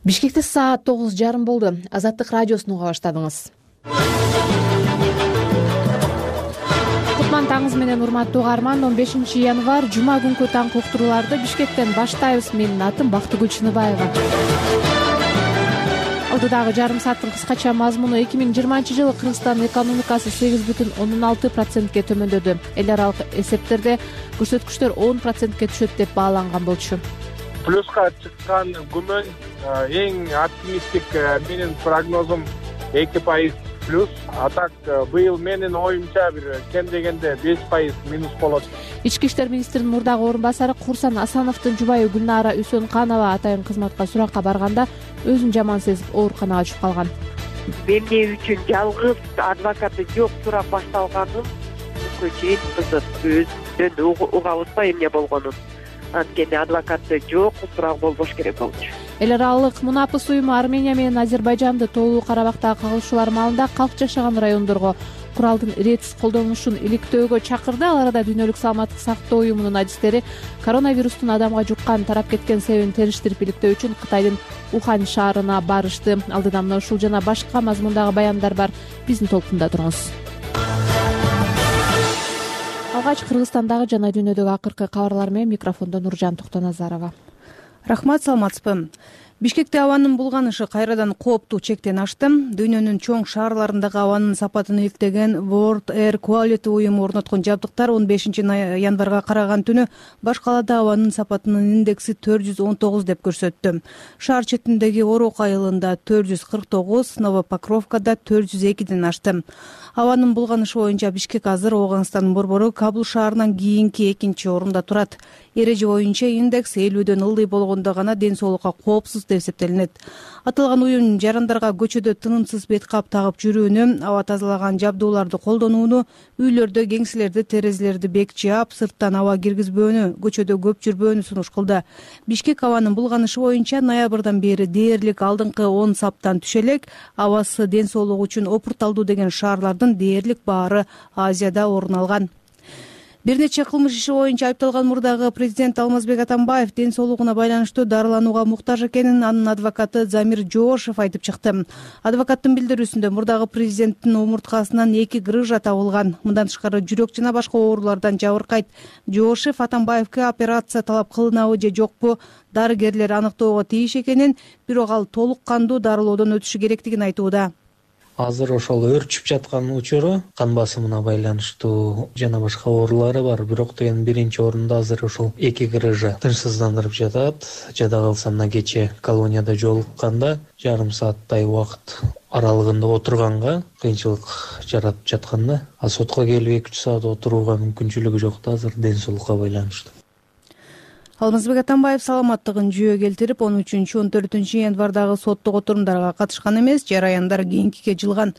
Бишкекте саат 9:30 болду. Азаттык радиосун уга баштадыңыз. Кутман таңыңыз менен урматтуу угарман. 15 январь жума күнкү таңкы уктурууларды Бишкектен баштайбыз. Менин атым Бактыгүл Чыныбаева. Алдыдагы жарым сааттын кыскача мазмуну: 2020 Кыргызстандын экономикасы 8,6%ге төмөндөдү. Эл аралык эсептерде көрсөткүчтөр 10%ге түшөт деп бааланган болчу. Плюска чыккан күмөн эң оптимисттик менин прогнозум 2% плюс. А так быйыл менин оюмча бир кем дегенде 5% минус болот. Ички иштер министринин мурдагы орун басары Курсан Асановдун жубайы Гүлнара Үсөнканова атайын кызматка суракка барганда өзүн жаман сезип ооруканага түшүп калган. Эмне үчүн жалгыз адвокаты жок сурап башталганын бүгүнкү чейин кызык. Өзүнөн угабызбы эмне болгонун. Анткени адвокаты жок, сурак болбош керек болчу. Эл аралык мунапыс уюму Армения менен Азербайжанды тоолуу Карабактагы кагылышуулар маалында калк жашаган райондорго куралдын иретсиз колдонулушун иликтөөгө чакырды. Ал арада Дүйнөлүк саламаттык сактоо уюмунун адистери коронавирустун адамга жуккан, тарап кеткен себебин териштирип иликтөө үчүн Кытайдын Ухань шаарына барышты. Алдыда мына ушул жана башка мазмундагы баяндар бар. Биздин толкунда туруңуз. Алгач Кыргызстандагы жана дүйнөдөгү акыркы кабарлар менен микрофондо Нуржан Токтоназарова. Рахмат, саламатсызбы. Бишкекте абанын булганышы кайрадан кооптуу чектен ашты. Дүйнөнүн чоң шаарларындагы абанын сапатын иликтеген World Air Quality уюму орноткон жабдыктар 15 январга караган түнү баш калаада абанын сапатынын индекси 419 деп көрсөттү. Шаар четиндеги Орок айылында 449, Новопокровкада 402ден ашты. Абанын булганышы боюнча Бишкек азыр Ооганстандын борбору Кабул шаарынан кийинки экинчи орунда турат. Эреже боюнча индекс 50дөн ылдый болгондо гана ден соолукка коопсуз деп эсептелинет. Аталган уюм жарандарга көчөдө тынымсыз бет кап тагып жүрүүнү, аба тазалаган жабдууларды колдонууну, үйлөрдө кеңселерди, терезелерди бек жаап, сырттан аба киргизбөөнү, көчөдө көп жүрбөөнү сунуш кылды. Бишкек абанын булганышы боюнча ноябрдан бери дээрлик алдыңкы 10 саптан түшө элек. Абасы ден соолук үчүн опурталдуу деген шаарлардын дээрлик баары Азияда орун алган. Бир нече кылмыш иши боюнча айыпталган мурдагы президент Алмазбек Атамбаев ден соолугуна байланыштуу дарыланууга муктаж экенин анын адвокаты Замир Жоошев айтып чыкты. Адвокаттын билдирүүсүндө мурдагы президенттин омурткасынан 2 грыжа табылган. Мындан тышкары жүрөк жана башка оорулардан жабыркайт. Жоошев Атамбаевке операция талап кылынабы же жокпу дарыгерлер аныктоого тийиш экенин, бирок ал толук кандуу дарылоодон өтүшү керектигин айтууда. Азыр ошол өрчүп жаткан учуру кан басымына байланыштуу жана башка оорулары бар. Бирок деген биринчи орунда азыр ошол 2 грыжа тынчсыздандырып жатат. Жада калса мына кече колонияда жолукканда жарым сааттай убакыт аралыгында отурганга кыйынчылык жаратып жатканда, а сотко келип 2-3 саат отурууга мүмкүнчүлүгү жок да азыр ден соолукка байланыштуу. Алмазбек Атамбаев саламаттыгын жүйө келтирип, 13-14 январдагы соттук отурумдарга катышкан эмес, жараяндар кийинкиге жылган.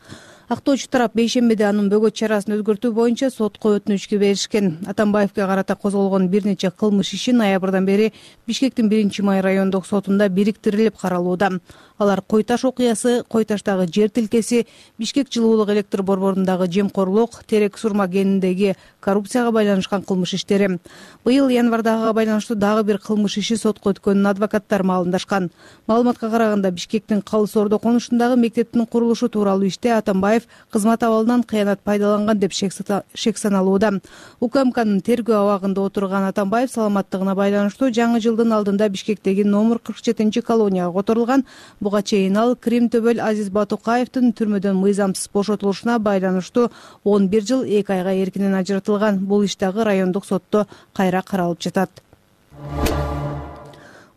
Актоочу тарап бейшембиде анын бөгөт чарасын өзгөртүү боюнча сотко өтүнүчкө беришкен. Атамбаевке карата козголгон бир нече кылмыш иши ноябрдан бери Бишкектин 1-май райондук сотунда бириктирилип каралууда. Алар Кой Таш окуясы, Кой Таштагы жер тилкеси, Бишкек жылуулук электр борборундагы жемкорлук, Терек Сурма кениндеги коррупцияга байланышкан кылмыш иштери. Быйыл январдагыга байланыштуу дагы бир кылмыш иши сотко өткөнүн адвокаттар маалымдашкан. Маалыматка караганда Бишкектин Калыс Ордо конушундагы мектептин курулушу тууралуу иште Атамбаев кызмат абалынан кыянат пайдаланган деп шек саналууда. УКМКнын тергөө абагында отурган Атамбаев саламаттыгына байланыштуу жаңы жылдын алдында Бишкектеги номер 47 колонияга которулган. Буга чейин ал Крим Төбөл Азиз Батукаевдин түрмөдөн мыйзамсыз бошотулушуна байланыштуу 11 жыл 2 айга эркинен ажыратылган. Бул иш дагы райондук сотто кайра каралып жатат.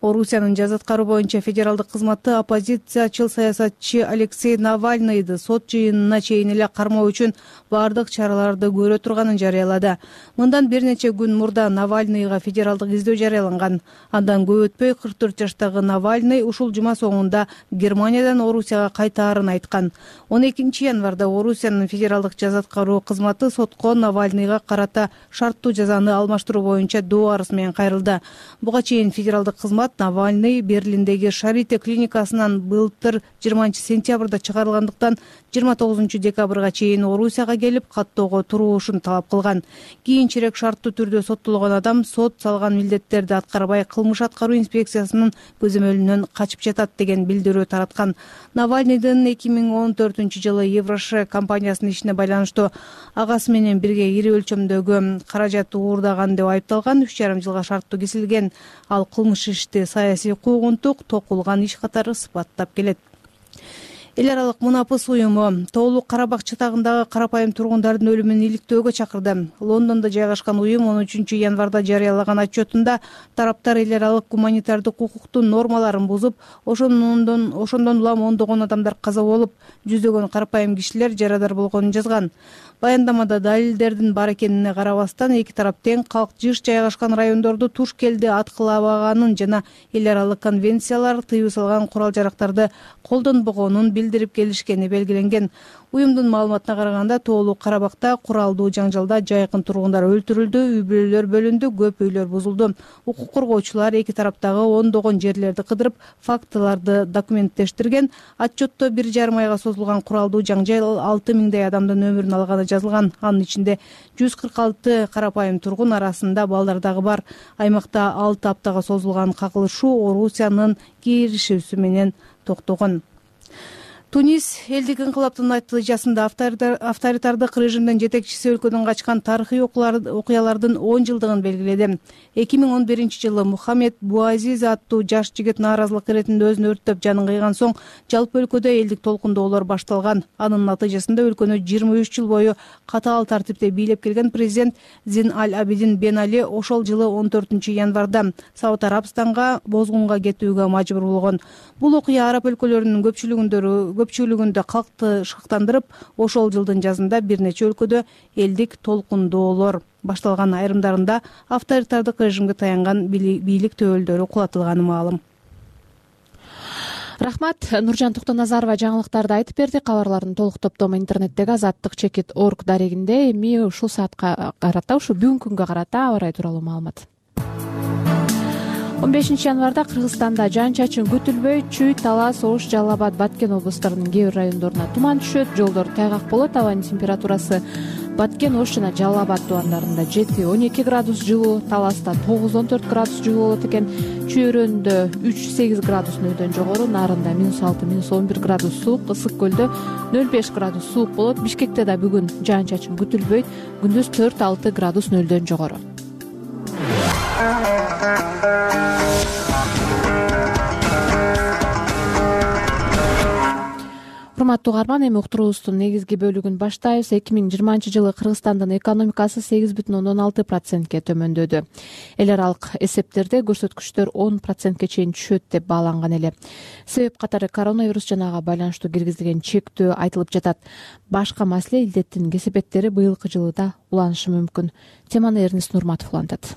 Орусиянын жаза аткаруу боюнча федералдык кызматы оппозициячыл саясатчы Алексей Навальныйды сот жыйынына чейин эле кармоо үчүн бардык чараларды көрө турганын жарыялады. Мындан бир нече күн мурда Навальныйга федералдык издөө жарыяланган. Андан көп өтпөй 44 жаштагы Навальный ушул жума соңунда Германиядан Орусияга кайтаарын айткан. 12 январда Орусиянын федералдык жаза аткаруу кызматы сотко Навальныйга карата шарттуу жазаны алмаштыруу боюнча доо арыз менен кайрылды. Буга чейин федералдык кызмат маалымат, Навальный Берлиндеги Шарите клиникасынан былтыр 20-сентябрда чыгарылгандыктан 29-декабрга чейин Орусияга келип каттоого туруушун талап кылган. Кийинчерээк шарттуу түрдө соттолгон адам сот салган милдеттерди аткарбай кылмыш аткаруу инспекциясынын көзөмөлүнөн качып жатат деген билдирүү тараткан. Навальныйдын 2014-жылы Евроше компаниясынын ишине байланыштуу агасы менен бирге ири өлчөмдөгү каражат уурдаган деп айыпталган, 3,5 жылга шарттуу кесилген. Ал кылмыш ишти саясий куугунтук, токулган иш катары сыпаттап келет. Эл аралык мунапыс уюму Тоолук Карабак чатагындагы карапайым тургундардын өлүмүн иликтөөгө чакырды. Лондондо жайгашкан уюм 13-январда жарыялаган отчетунда тараптар эл аралык гуманитардык укуктун нормаларын бузуп, ошондон улам ондогон адамдар каза болуп, жүздөгөн карапайым кишилер жарадар болгонун жазган. Баяндамада далилдердин бар экенине карабастан эки тарап тең калк жыш жайгашкан райондорду туш келди аткыламаганын жана эл аралык конвенциялар тыюу салган курал-жарактарды колдонбогонун билдирип келишкени белгиленген. Уюмдун маалыматына караганда Тоолук Карабакта куралдуу жаңжалда жайкын тургундар өлтүрүлдү, үй-бүлөлөр бөлүндү, көп үйлөр бузулду. Укук коргоочулар эки тараптагы ондогон жерлерди кыдырып, фактыларды документтештирген. Отчетто 1,5 айга созулган куралдуу жаңжал 6000 адамдын өмүрүн алганы жазылган. Анын ичинде 146 карапайым тургун арасында балдар дагы бар. Аймакта 6 аптага созулган кагылышуу Орусиянын киришүүсү менен токтогон. Тунис элдик инкылаптын натыйжасында авторитардык режимдин жетекчиси өлкөдөн качкан тарыхый окуялардын 10 жылдыгын белгиледи. 2011-жылы Мухаммед Буазиз аттуу жаш жигит нааразылык иретинде өзүн өрттөп жанын кыйган соң жалпы өлкөдө элдик толкундоолор башталган. Анын натыйжасында өлкөнү 23 жыл бою катаал тартипте бийлеп келген президент Зин Аль-Абидин Бен Али ошол жылы 14-январда Сауд Арабстанга бозгунга кетүүгө мажбур болгон. Бул окуя араб өлкөлөрүнүн көпчүлүгүндө калкты шыктандырып, ошол жылдын жазында бир нече өлкөдө элдик толкундоолор башталган, айрымдарында авторитардык режимге таянган бийлик төбөлдөрү кулатылганы маалым. Рахмат. Нуржан Токтоназарова жаңылыктарды айтып берди. Кабарлардын толук топтому интернеттеги azattik.org дарегинде. Эми ушул саатка карата, ушу бүгүнкү күнгө карата аба ырайы тууралуу маалымат. 15-январда Кыргызстанда жаан-чачын күтүлбөй, Чүй, Талас, Ош, Жалал Абад, Баткен облустарынын кээ бир райондоруна туман түшөт, жолдор тайгак болот. Абанын температурасы Баткен, Ош жана Жалал Абад тубандарында 7-12 градус жылуу, Таласта 9-14 градус жылуу болот экен. Чүйрөндө 3-8 градус нөлдөн жогору, Нарында -6-11 градус суук, Ысык көлдө 0-5 градус суук болот. Бишкекте да бүгүн жаан-чачын күтүлбөйт, күндүз 4-6 градус нөлдөн жогору. Урматтуу угарман, эми уктуруубуздун негизги бөлүгүн баштайбыз. 2020-жылы Кыргызстандын экономикасы 8,6%ке төмөндөдү. Эл аралык эсептерде көрсөткүчтөр 10%ке чейин түшөт деп бааланган эле. Себеп катары коронавирус жана ага байланыштуу киргизилген чектөө айтылып жатат. Башка маселе илдеттин кесепеттери быйылкы жылы да уланышы мүмкүн. Теманы Эрнест Нурматов улантат.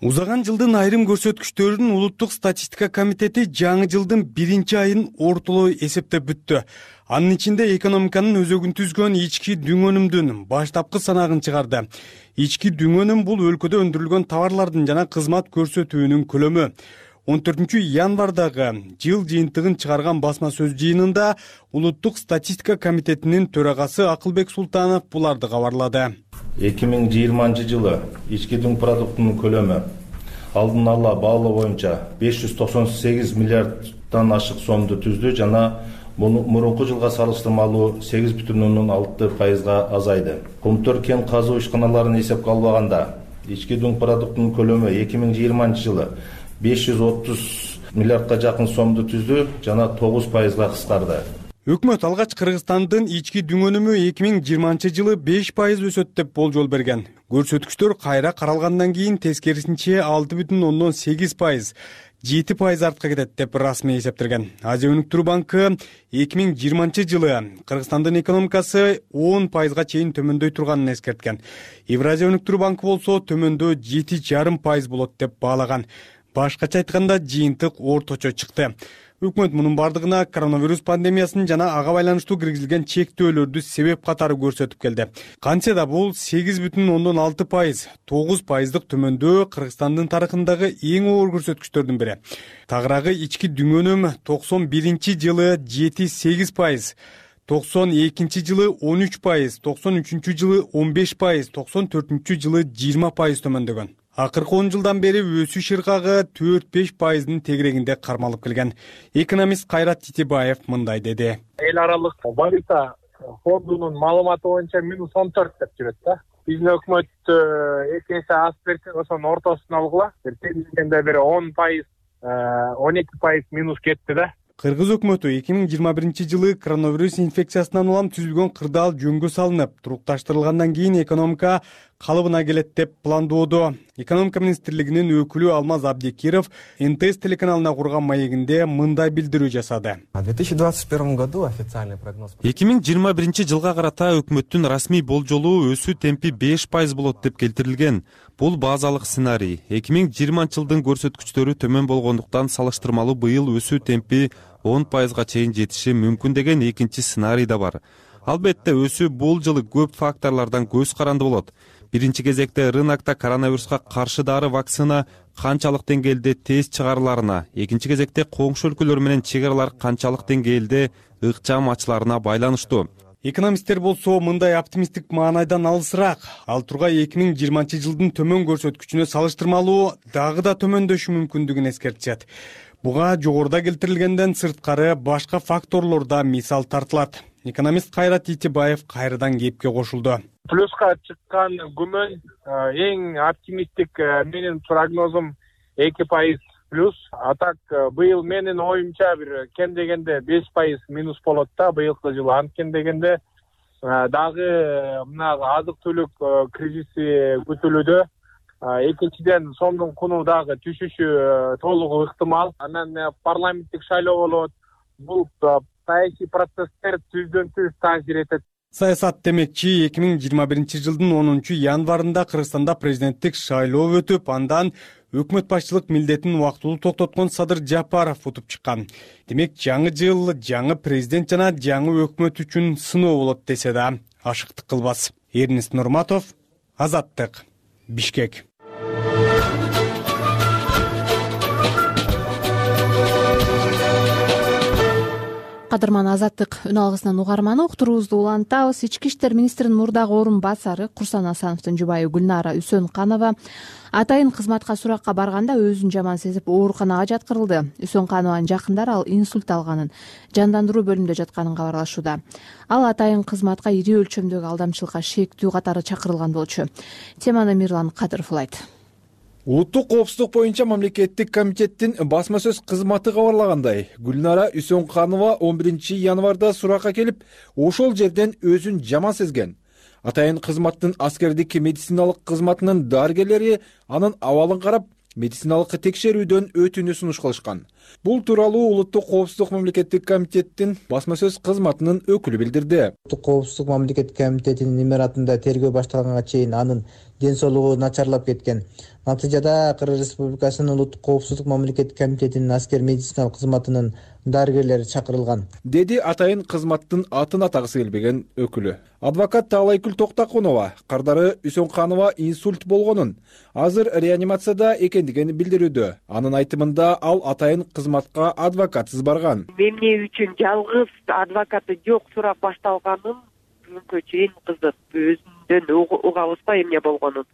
Узаган жылдын айрым көрсөткүчтөрүн Улуттук статистика комитети жаңы жылдын 1-айын ортолоо эсептеп бүттү. Анын ичинде экономиканын өзөгүн түзгөн ички дүңөнүмдүн баштапкы санагын чыгарды. Ички дүңөнүм бул өлкөдө өндүрүлгөн товарлардын жана кызмат көрсөтүүнүн көлөмү. 14-январдагы жыл жыйынтыгын чыгарган басма сөз жыйынында Улуттук статистика комитетинин төрагасы Акылбек Султанов буларды кабарлады. 2020 жылы ички дүң продуктунун көлөмү алдын ала баалоо боюнча 598 миллиарддан ашык сомду түздү жана мурунку жылга салыштырмалуу 8,6%га азайды. Комтор кен казуу ишканаларын эсепке албаганда ички дүң продуктунун көлөмү 2020 жылы 530 миллиардга жакын сомду түздү жана 9%га кыскарды. Өкмөт алгач Кыргызстандын ички дүңөнүмү 2020 жылы 5% өсөт деп болжол берген. Көрсөткүчтөр кайра каралгандан кийин тескерисинче 6,8%, 7% артка кетет деп расмий эсептелген. Азия өнүктүрүү банкы 2020 жылы Кыргызстандын экономикасы 10%га чейин төмөндөй турганын эскерткен. Евразия өнүктүрүү банкы болсо төмөндөө 7,5% болот деп баалаган. Башкача айтканда жыйынтык орточо чыкты. Өкмөт мунун бардыгына коронавирус пандемиясынын жана ага байланыштуу киргизилген чектөөлөрдү себеп катары көрсөтүп келди. Кантсе да бул 8,6%, 9% төмөндөө Кыргызстандын тарыхындагы эң оор көрсөткүчтөрдүн бири. Тагыраагы ички дүңөнүм 91-жылы 7-8%, 92-жылы 13%, 93-жылы 15%, 94-жылы 20% төмөндөгөн. Акыркы 10 жылдан бери өсүш ыргагы 4-5%дын тегерегинде кармалып келген. Экономист Кайрат Титибаев мындай деди. Эл аралык валюта фондунун маалыматы боюнча -14 деп жүрөт да. Биздин өкмөт 2 эсе аз берсе, ошонун ортосун алгыла. Тегерегинде бир 10%, 12% минус кетти да. Кыргыз өкмөтү 2021 жылы коронавирус инфекциясынан улам түзүлгөн кырдаал жөнгө салынып, турукташтырылгандан кийин экономика калыбына келет деп пландоодо. Экономика министрлигинин өкүлү Алмаз Абдикиров НТС телеканалына курган маегинде мындай билдирүү жасады. В 2021 году официальный прогноз 2021 жылга карата өкмөттүн расмий болжолу өсүү темпи 5% болот деп келтирилген. Бул базалык сценарий. 2020 жылдын көрсөткүчтөрү төмөн болгондуктан салыштырмалуу быйыл өсүү темпи 10%га чейин жетиши мүмкүн деген экинчи сценарий да бар. Албетте өсүү бул жылы көп факторлордон көз каранды болот. Биринчи кезекте рынокто коронавируска каршы дары вакцина канчалык деңгээлде тез чыгарыларына, экинчи кезекте коңшу өлкөлөр менен чек аралар канчалык деңгээлде ыкчам ачыларына байланыштуу. Экономисттер болсо мындай оптимисттик маанайдан алысыраак. Ал тургай 2020 жылдын төмөн көрсөткүчүнө салыштырмалуу дагы да төмөндөшү мүмкүндүгүн эскертишет. Буга жогоруда келтирилгенден сырткары башка факторлор да мисал тартылат. Экономист Кайрат Титибаев кайрадан кепке кошулду. Плюска чыккан күмөн эң оптимисттик менин прогнозум 2% плюс. А так быйыл менин оюмча бир кем дегенде 5% минус болот да быйылкы жылы. Анткени дегенде дагы мына азык-түлүк кризиси күтүлүүдө. Экинчиден сомдун куну дагы түшүшү толугу ыктымал. Анан парламенттик шайлоо болот. Бул саясий процесстер түздөн түз таасир этет. Саясат демекчи 2021 жылдын 10 январында Кыргызстанда президенттик шайлоо өтүп, андан өкмөт башчылык милдетин убактылуу токтоткон Садыр Жапаров утуп чыккан. Демек жаңы жыл жаңы президент жана жаңы өкмөт үчүн сыноо болот десе да ашыктык кылбас. Эрнест Нурматов, Азаттык, Бишкек. Кадырман, Азаттык үн алгысынан угарманы уктуруубузду улантабыз. Ички иштер министринин мурдагы орун басары Курсан Асановдун жубайы Гүлнара Үсөнканова атайын кызматка суракка барганда өзүн жаман сезип ооруканага жаткырылды. Үсөнканованын жакындары ал инсульт алганын, жандандыруу бөлүмүндө жатканын кабарлашууда. Ал атайын кызматка ири өлчөмдөгү алдамчылыкка шектүү катары чакырылган болчу. Теманы Мирлан Кадыров улайт. Улуттук коопсуздук боюнча мамлекеттик комитеттин басма сөз кызматы кабарлагандай, Гүлнара Үсөнканова 11 январда суракка келип, ошол жерден өзүн жаман сезген. Атайын кызматтын аскердик медициналык кызматынын дарыгерлери анын абалын карап, медициналык текшерүүдөн өтүүнү сунуш кылышкан. Бул тууралуу Улуттук коопсуздук мамлекеттик комитеттин басма сөз кызматынын өкүлү билдирди. Улуттук коопсуздук мамлекеттик комитетинин имаратында тергөө башталганга чейин анын ден соолугу начарлап кеткен. Натыйжада Кыргыз Республикасынын Улуттук коопсуздук мамлекеттик комитетинин аскер медициналык кызматынын дарыгерлери чакырылган, деди атайын кызматтын атын атагысы келбеген өкүлү. Адвокат Таалайкүл Токтакунова кардары Үсөнканова инсульт болгонун, азыр реанимацияда экендигин билдирүүдө. Анын айтымында ал атайын кызматка адвокатсыз барган. Эмне үчүн жалгыз адвокаты жок сурак башталганын бүгүнкү чейин кызык. Өзүндөн угабызбы эмне болгонун.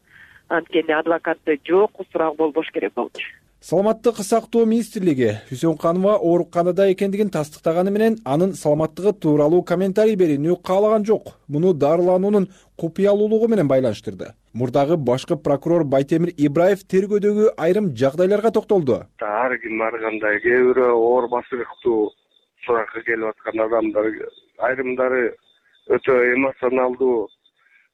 Анткени адвокаты жок, сурак болбош керек болчу. Саламаттык сактоо министрлиги Үсөнканова ооруканада экендигин тастыктаганы менен анын саламаттыгы тууралуу комментарий берүүнү каалаган жок. Муну дарылануунун купуялуулугу менен байланыштырды. Мурдагы башкы прокурор Байтемир Ибраев тергөөдөгү айрым жагдайларга токтолду. Ар ким ар кандай, кээ бирөө оор басырыктуу суракка келип аткан адамдар, айрымдары өтө эмоционалдуу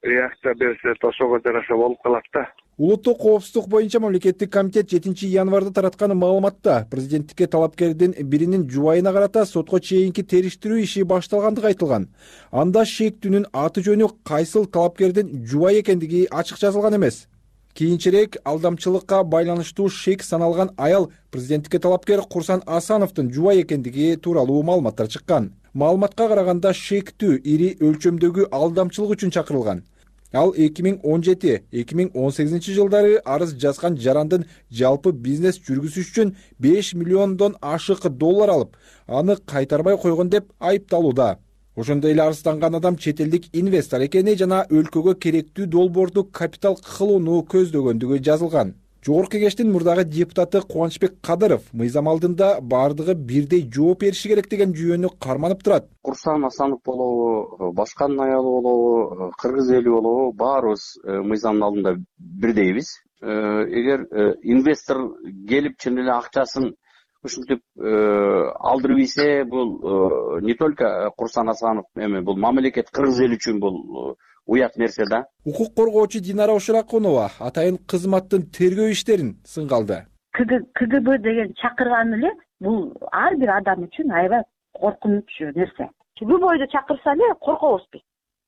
реакция берсе, ошого жараша болуп калат да. Улуттук коопсуздук боюнча мамлекеттик комитет 7 январда тараткан маалыматта президенттикке талапкердин биринин жубайына карата сотко чейинки териштирүү иши башталгандыгы айтылган. Анда шектүүнүн аты жөнү кайсыл талапкердин жубайы экендиги ачык жазылган эмес. кийинчерээк алдамчылыкка байланыштуу шек саналган аял президенттикке талапкер Курсан Асановдун жубайы экендиги тууралуу маалыматтар чыккан. Маалыматка караганда шектүү ири өлчөмдөгү алдамчылык үчүн чакырылган. Ал 2017-2018 жылдары арыз жазган жарандын жалпы бизнес жүргүзүш үчүн 5 миллиондон ашык доллар алып, аны кайтарбай койгон деп айыпталууда. Ошондой эле арызданган адам чет элдик инвестор экени жана өлкөгө керектүү долбоорду капитал кылууну көздөгөндүгү жазылган. Жогорку кеңештин мурдагы депутаты Кубанычбек Кадыров мыйзам алдында бардыгы бирдей жооп бериши керек деген жүйөнү карманып турат. Курсан Асанов болобу, башканын аялы болобу, кыргыз эли болобу, баарыбыз мыйзамдын алдында бирдейбиз. Эгер инвестор келип чын эле акчасын ушинтип алдырып ийсе, бул не только Курсан Асанов эми, бул мамлекет, кыргыз эли үчүн бул уят нерсе да. Укук коргоочу Динара Ошуракунова атайын кызматтын тергөө иштерин сынга алды. КГБ деген чакырган эле бул ар бир адам үчүн аябай коркунучу нерсе. Любойду чакырса эле коркобуз биз.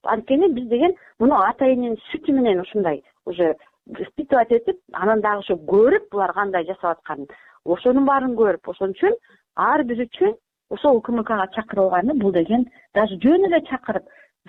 Анткени биз деген муну атайынын сүтү менен ушундай уже испытывать этип, анан дагы ошо көрүп булар кандай жасап атканын, ошонун баарын көрүп, ошон үчүн ар бир үчүн ошол УКМКга чакырылганы, бул деген даже жөн эле чакырып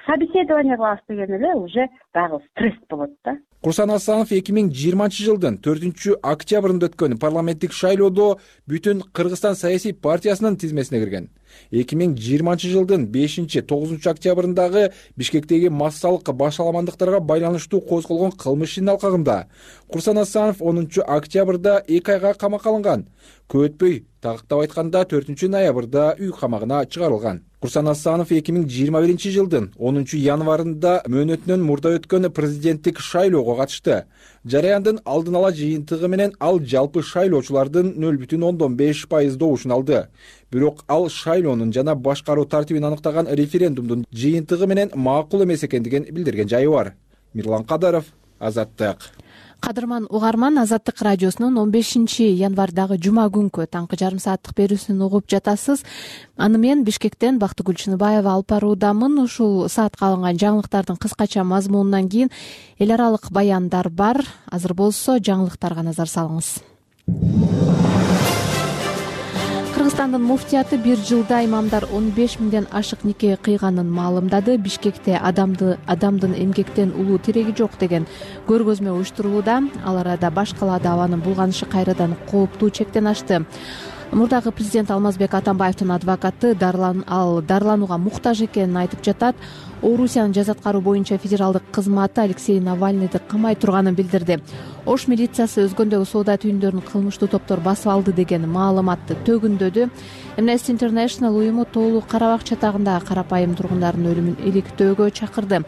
собеседование кылабыз деген эле уже дагы стресс болот да. Курсан Асанов 2020 жылдын 4-октябрында өткөн парламенттик шайлоодо бүтүн Кыргызстан саясий партиясынын тизмесине кирген. 2020 жылдын 5-9 октябрындагы Бишкектеги массалык башаламандыктарга байланыштуу козголгон кылмыш ишинин алкагында Курсан Асанов 10 октябрда 2 айга камакка алынган. Көп өтпөй, тактап айтканда 4 ноябрда үй камагына чыгарылган. Курсан Асанов 2021 жылдын 10 январында мөөнөтүнөн мурда өткөн президенттик шайлоого катышты. Жараяндын алдын ала жыйынтыгы менен ал жалпы шайлоочулардын 0,5% добушун алды. Бирок ал шайлоонун жана башкаруу тартибин аныктаган референдумдун жыйынтыгы менен макул эмес экендигин билдирген жайы бар. Мирлан Кадаров, Азаттык. Кадырман угарман, Азаттык радиосунун 15 январдагы жума күнкү таңкы жарым сааттык берүүсүн угуп жатасыз. Аны мен Бишкектен Бактыгүл Чыныбаева алып баруудамын. Ушул саатка алынган жаңылыктардын кыскача мазмунунан кийин эл аралык баяндар бар. Азыр болсо жаңылыктарга назар салыңыз. Кыргызстандын муфтияты бир жылда имамдар 15 миңден ашык нике кыйганын маалымдады. Бишкекте адамдын эмгектен улуу тиреги жок деген көргөзмө уюштурулууда. Ал арада баш калаада абанын булганышы кайрадан кооптуу чектен ашты. Мурдагы президент Алмазбек Атамбаевдин адвокаты дарыланууга муктаж экенин айтып жатат. Орусиянын жаза аткаруу боюнча федералдык кызматы Алексей Навальныйды камай турганын билдирди. Ош милициясы өзгөндөгү соода түйүндөрүн кылмыштуу топтор басып алды деген маалыматты төгүндөдү. Amnesty International уюму Тоолуу Карабак чатагындагы карапайым тургундардын өлүмүн иликтөөгө чакырды.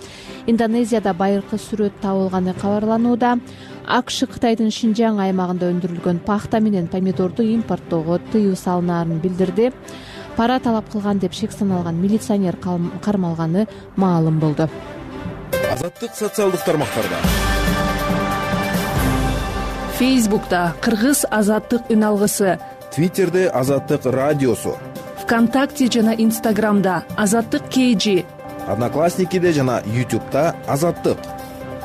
Индонезияда байыркы сүрөт табылганы кабарланууда. АКШ Кытайдын Шинжаң аймагында өндүрүлгөн пахта менен помидорду импорттоого тыюу салынаарын билдирди. Пара талап кылган деп шек саналган милиционер кармалганы маалым болду. Азаттык социалдык тармактарда. Фейсбукта Кыргыз Азаттык үн алгысы, Твиттерде Азаттык радиосу, ВКонтакте жана Инстаграмда Азаттык KG, Одноклассникиде жана YouTube'да Азаттык.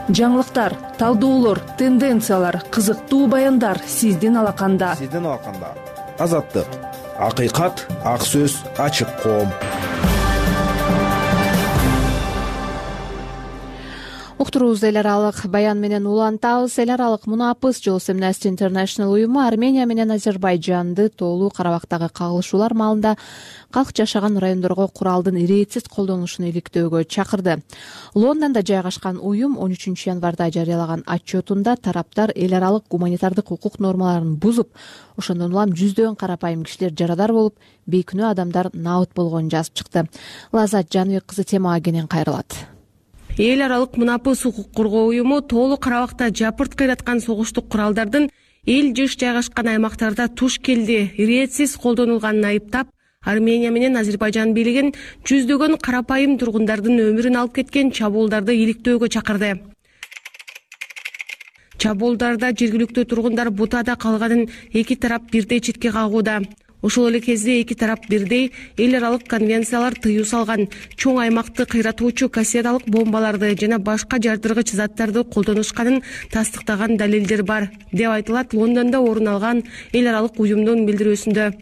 Жаңылыктар, талдоолор, тенденциялар, кызыктуу баяндар сиздин алаканда. Азаттык. Акыйкат, ак сөз, ачык коом. Уктуруубузду эл аралык баян менен улантабыз. Эл аралык мунапыс жолсу Amnesty International уюму Армения менен Азербайжанды Тоолуу Карабактагы кагылышуулар маалында калк жашаган райондорго куралдын иретсиз колдонулушун иликтөөгө чакырды. Лондондо жайгашкан уюм 13 январда жарыялаган отчетунда тараптар эл аралык гуманитардык укук нормаларын бузуп, ошондон улам жүздөгөн карапайым кишилер жарадар болуп, бейкүнөө адамдар набыт болгонун жазып чыкты. Лазат Жаныбек кызы темага кенен кайрылат. Эл аралык мунапыс укук коргоо уюму Тоолуу Карабакта жапырт кыйраткан согуштук куралдардын эл жыш жайгашкан аймактарда туш келди иретсиз колдонулганын айыптап, Армения менен Азербайжан бийлигин жүздөгөн карапайым тургундардын өмүрүн алып кеткен чабуулдарды иликтөөгө чакырды. Чабуулдарда жергиликтүү тургундар бутада калганын эки тарап бирдей четке кагууда. Ошол эле кезде эки тарап бирдей эл аралык конвенциялар тыюу салган чоң аймакты кыйратуучу кассеталык бомбаларды жана башка жардыргыч заттарды колдонушканын тастыктаган далилдер бар, деп айтылат Лондондо орун алган эл аралык уюмдун билдирүүсүндө.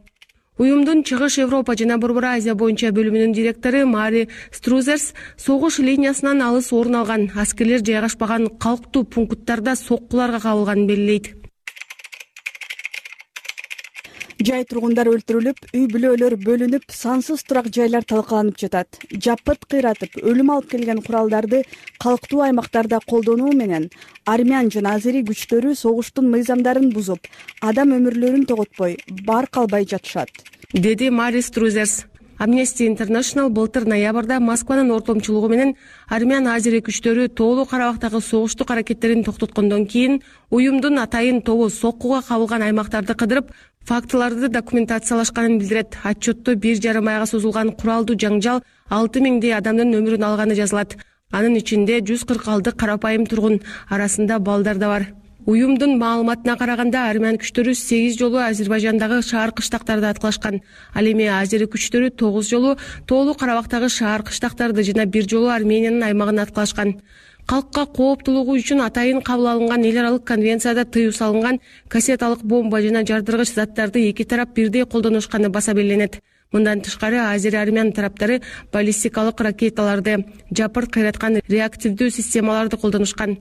Уюмдун Чыгыш Европа жана Борбор Азия боюнча бөлүмүнүн директору Мари Струзерс согуш линиясынан алыс орун алган, аскерлер жайгашпаган калктуу пункттарда соккуларга кабылганын белгилейт. Жай тургундар өлтүрүлүп, үй бүлөлөр бөлүнүп, сансыз турак жайлар талкаланып жатат. Жапырт кыйратып, өлүм алып келген куралдарды калктуу аймактарда колдонуу менен армян жана азери күчтөрү согуштун мыйзамдарын бузуп, адам өмүрлөрүн тоготпой, барк албай жатышат, деди Мари Струзерс. Amnesty International былтыр ноябрда Москванын ортомчулугу менен армян азери күчтөрү Тоолуу Карабактагы согуштук аракеттерин токтоткондон кийин уюмдун атайын тобу соккуга кабылган аймактарды кыдырып, фактыларды документациялашканын билдирет. Отчетто 1,5 айга созулган куралдуу жаңжал 6000 адамдын өмүрүн алганы жазылат. Анын ичинде 146 карапайым тургун, арасында балдар да бар. Уюмдун маалыматына караганда армян күчтөрү 8 жолу Азербайжандагы шаар кыштактарды аткылашкан. Ал эми азери күчтөрү 9 жолу Тоолуу Карабактагы шаар кыштактарды жана 1 жолу Армениянын аймагын аткылашкан. Калкка кооптуулугу үчүн атайын кабыл алынган эл аралык конвенцияда тыюу салынган кассеталык бомба жана жардыргыч заттарды эки тарап бирдей колдонушканы баса белгиленет. Мындан тышкары азери армян тараптары баллистикалык ракеталарды, жапырт кыйраткан реактивдүү системаларды колдонушкан.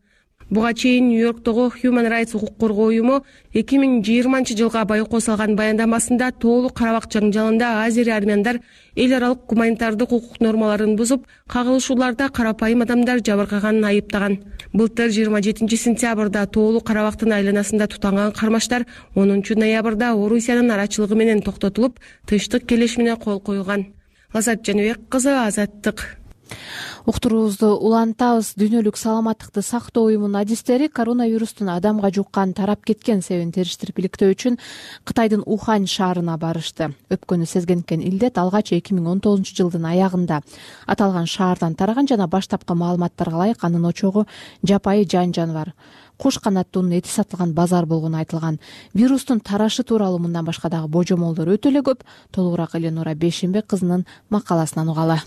Буга чейин Нью-Йорктогу Human Rights укук коргоо уюму 2020-жылга байкоо салган баяндамасында Тоолуу Карабак жаңжалында азери армяндар эл аралык гуманитардык укук нормаларын бузуп, кагылышууларда карапайым адамдар жабыркаганын айыптаган. Былтыр 27 сентябрда Тоолуу Карабактын айланасында тутанган кармаштар 10 ноябрда Орусиянын арачылыгы менен токтотулуп, тынчтык келишимине кол коюлган. Азат Жаныбек кызы, Азаттык. Уктуруубузду улантабыз. Дүйнөлүк саламаттыкты сактоо уюмунун адистери коронавирустун адамга жуккан, тарап кеткен себебин териштирип иликтөө үчүн Кытайдын Ухань шаарына барышты. Өпкөнү сезгенкен илдет алгач 2019-жылдын аягында аталган шаардан тараган жана баштапкы маалыматтарга ылайык анын очогу жапайы жан-жаныбар куш канаттуунун эти сатылган базар болгону айтылган. Вирустун тарашы тууралуу мындан башка дагы божомолдор өтө эле көп. Толугураак Эленура Бейшембек кызынын макаласынан угалы.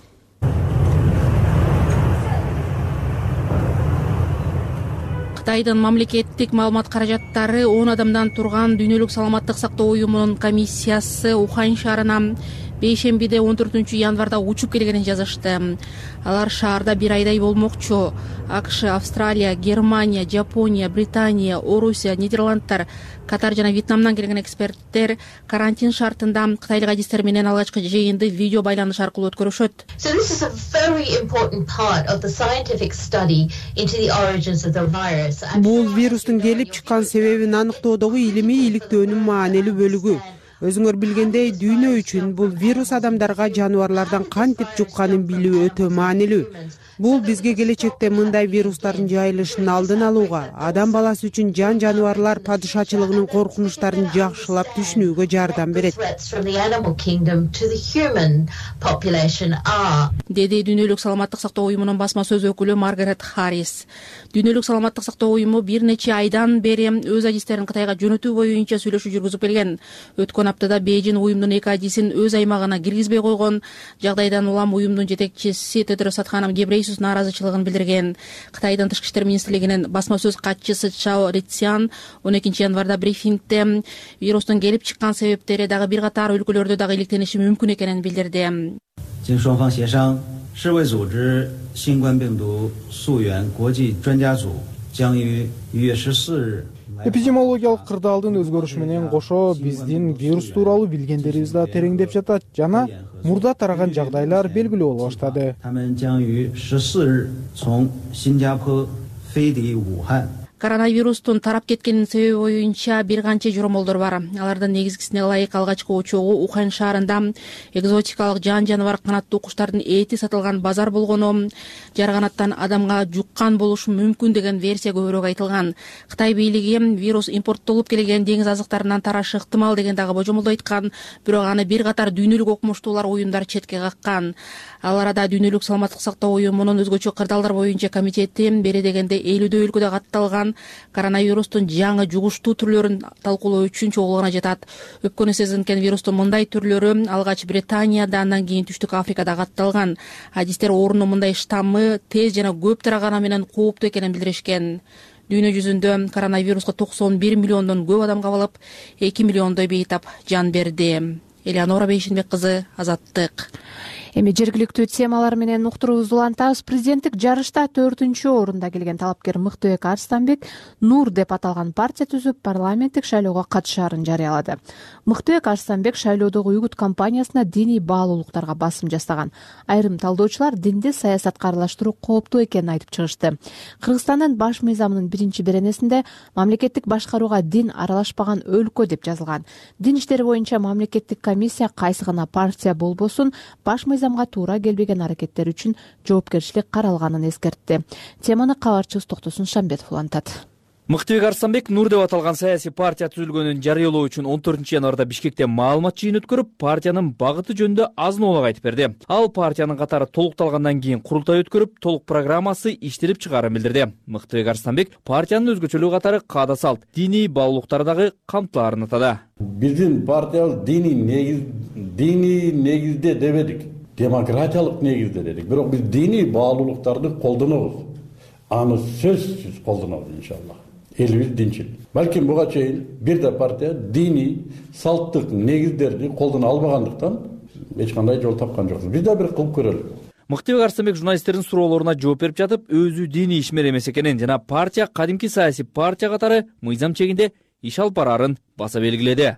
Кытайдын мамлекеттик маалымат каражаттары 10 адамдан турган Дүйнөлүк саламаттык сактоо уюмунун комиссиясы Ухань шаарына бейшембиде 14 январда учуп келгенин жазышты. Алар шаарда 1 айдай болмокчу. АКШ, Австралия, Германия, Жапония, Британия, Орусия, Нидерландтар, Катар жана Вьетнамдан келген эксперттер карантин шартында кытайлык адистер менен алгачкы жыйынды видео байланыш аркылуу өткөрүшөт. Бул вирустун келип чыккан себебин аныктоодогу илимий иликтөөнүн маанилүү бөлүгү. Өзүңөр билгендей, дүйнө үчүн бул вирус адамдарга жаныбарлардан кантип жукканын билүү өтө маанилүү. Бул бизге келечекте мындай вирустардын жайылышын алдын алууга, адам баласы үчүн жан-жаныбарлар падышачылыгынын коркунучтарын жакшылап түшүнүүгө жардам берет, деди Дүйнөлүк саламаттык сактоо уюмунун басма сөз өкүлү Маргарет Харрис. Дүйнөлүк саламаттык сактоо уюму бир нече айдан бери өз адистерин Кытайга жөнөтүү боюнча сүйлөшүү жүргүзүп келген. Өткөн аптада Бейжин уюмдун эки адисин өз аймагына киргизбей койгон. Жагдайдан улам уюмдун жетекчиси Тедрос Адханом Гебрейсус нааразычылыгын билдирген. Кытайдын тышкы иштер министрлигинин басма сөз катчысы Чао Ритсян 12 январда брифингде вирустун келип чыккан себептери дагы бир катар өлкөлөрдө дагы иликтениши мүмкүн экенин билдирди. 经双方协商，世卫组织新冠病毒溯源国际专家组将于1月14日 Эпидемиологиялык кырдаалдын өзгөрүшү менен кошо биздин вирус тууралуу билгендерибиз да тереңдеп жатат жана мурда тараган жагдайлар белгилүү боло баштады. 他们将于14日从新加坡飞抵武汉。 Коронавирустун тарап кеткенин себеби боюнча бир канча жоромолдор бар. Алардын негизгисине ылайык алгачкы очогу Ухань шаарында экзотикалык жан-жаныбар канаттуу куштардын эти сатылган базар болгону, жарганаттан адамга жуккан болушу мүмкүн деген версия көбүрөөк айтылган. Кытай бийлиги вирус импорттолуп келген деңиз азыктарынан тарашы ыктымал деген дагы божомолдо айткан, бирок аны бир катар дүйнөлүк окумуштуулар уюмдар четке каккан. Ал арада Дүйнөлүк саламаттык сактоо уюмунун өзгөчө кырдаалдар боюнча комитети бери дегенде 50 өлкөдө катталган коронавирустун жаңы жугуштуу түрлөрүн талкуулоо үчүн чогулганы жатат. Өпкөнү сезинкен вирустун мындай түрлөрү алгач Британияда, андан кийин Түштүк Африкада катталган. Адистер оорунун мындай штаммы тез жана көп тараганы менен кооптуу экенин билдиришкен. Дүйнө жүзүндө коронавируска 91 миллиондон көп адам кабылып, 2 миллиондой бейтап жан берди. Элеонора Бейшинбек кызы, Азаттык. Эми жергиликтүү темалар менен уктуруубузду улантабыз. Президенттик жарышта 4-орунда келген талапкер Мыктыбек Арстанбек Нур деп аталган партия түзүп, парламенттик шайлоого катышаарын жарыялады. Мыктыбек Арстанбек шайлоодогу үгүт кампаниясына диний баалуулуктарга басым жасаган. Айрым талдоочулар динди саясатка аралаштыруу кооптуу экенин айтып чыгышты. Кыргызстандын баш мыйзамынын 1-беренесинде мамлекеттик башкарууга дин аралашпаган өлкө деп жазылган. Дин иштери боюнча мамлекеттик комиссия кайсы гана партия болбосун баш мыйзамга туура келбеген аракеттер үчүн жоопкерчилик каралганын эскертти. Теманы кабарчыбыз Токтосун Шамбетов улантат. Мыктыбек Арстанбек Нур деп аталган саясий партия түзүлгөнүн жарыялоо үчүн 14-январда Бишкекте маалымат жыйын өткөрүп, партиянын багыты жөнүндө азын-оолак айтып берди. Ал партиянын катары толукталгандан кийин курултай өткөрүп, толук программасы иштелип чыгаарын билдирди. Мыктыбек Арстанбек партиянын өзгөчөлүгү катары каада салт, диний баалуулуктары дагы камтылаарын атады. Биздин партиябыз диний негизде дебедик, демократиялык негизде дедик. Бирок биз диний баалуулуктарды колдонобуз. Аны сөзсүз колдонобуз иншаллах. Элибиз динчил. Балким буга чейин бир да партия диний салттык негиздерди колдоно албагандыктан эч кандай жол тапкан жокпуз. Биз да бир кылып көрөлү. Мыктыбек Арстанбек журналисттердин суроолоруна жооп берип жатып, өзү диний ишмер эмес экенин жана партия кадимки саясий партия катары мыйзам чегинде иш алып бараарын баса белгиледи.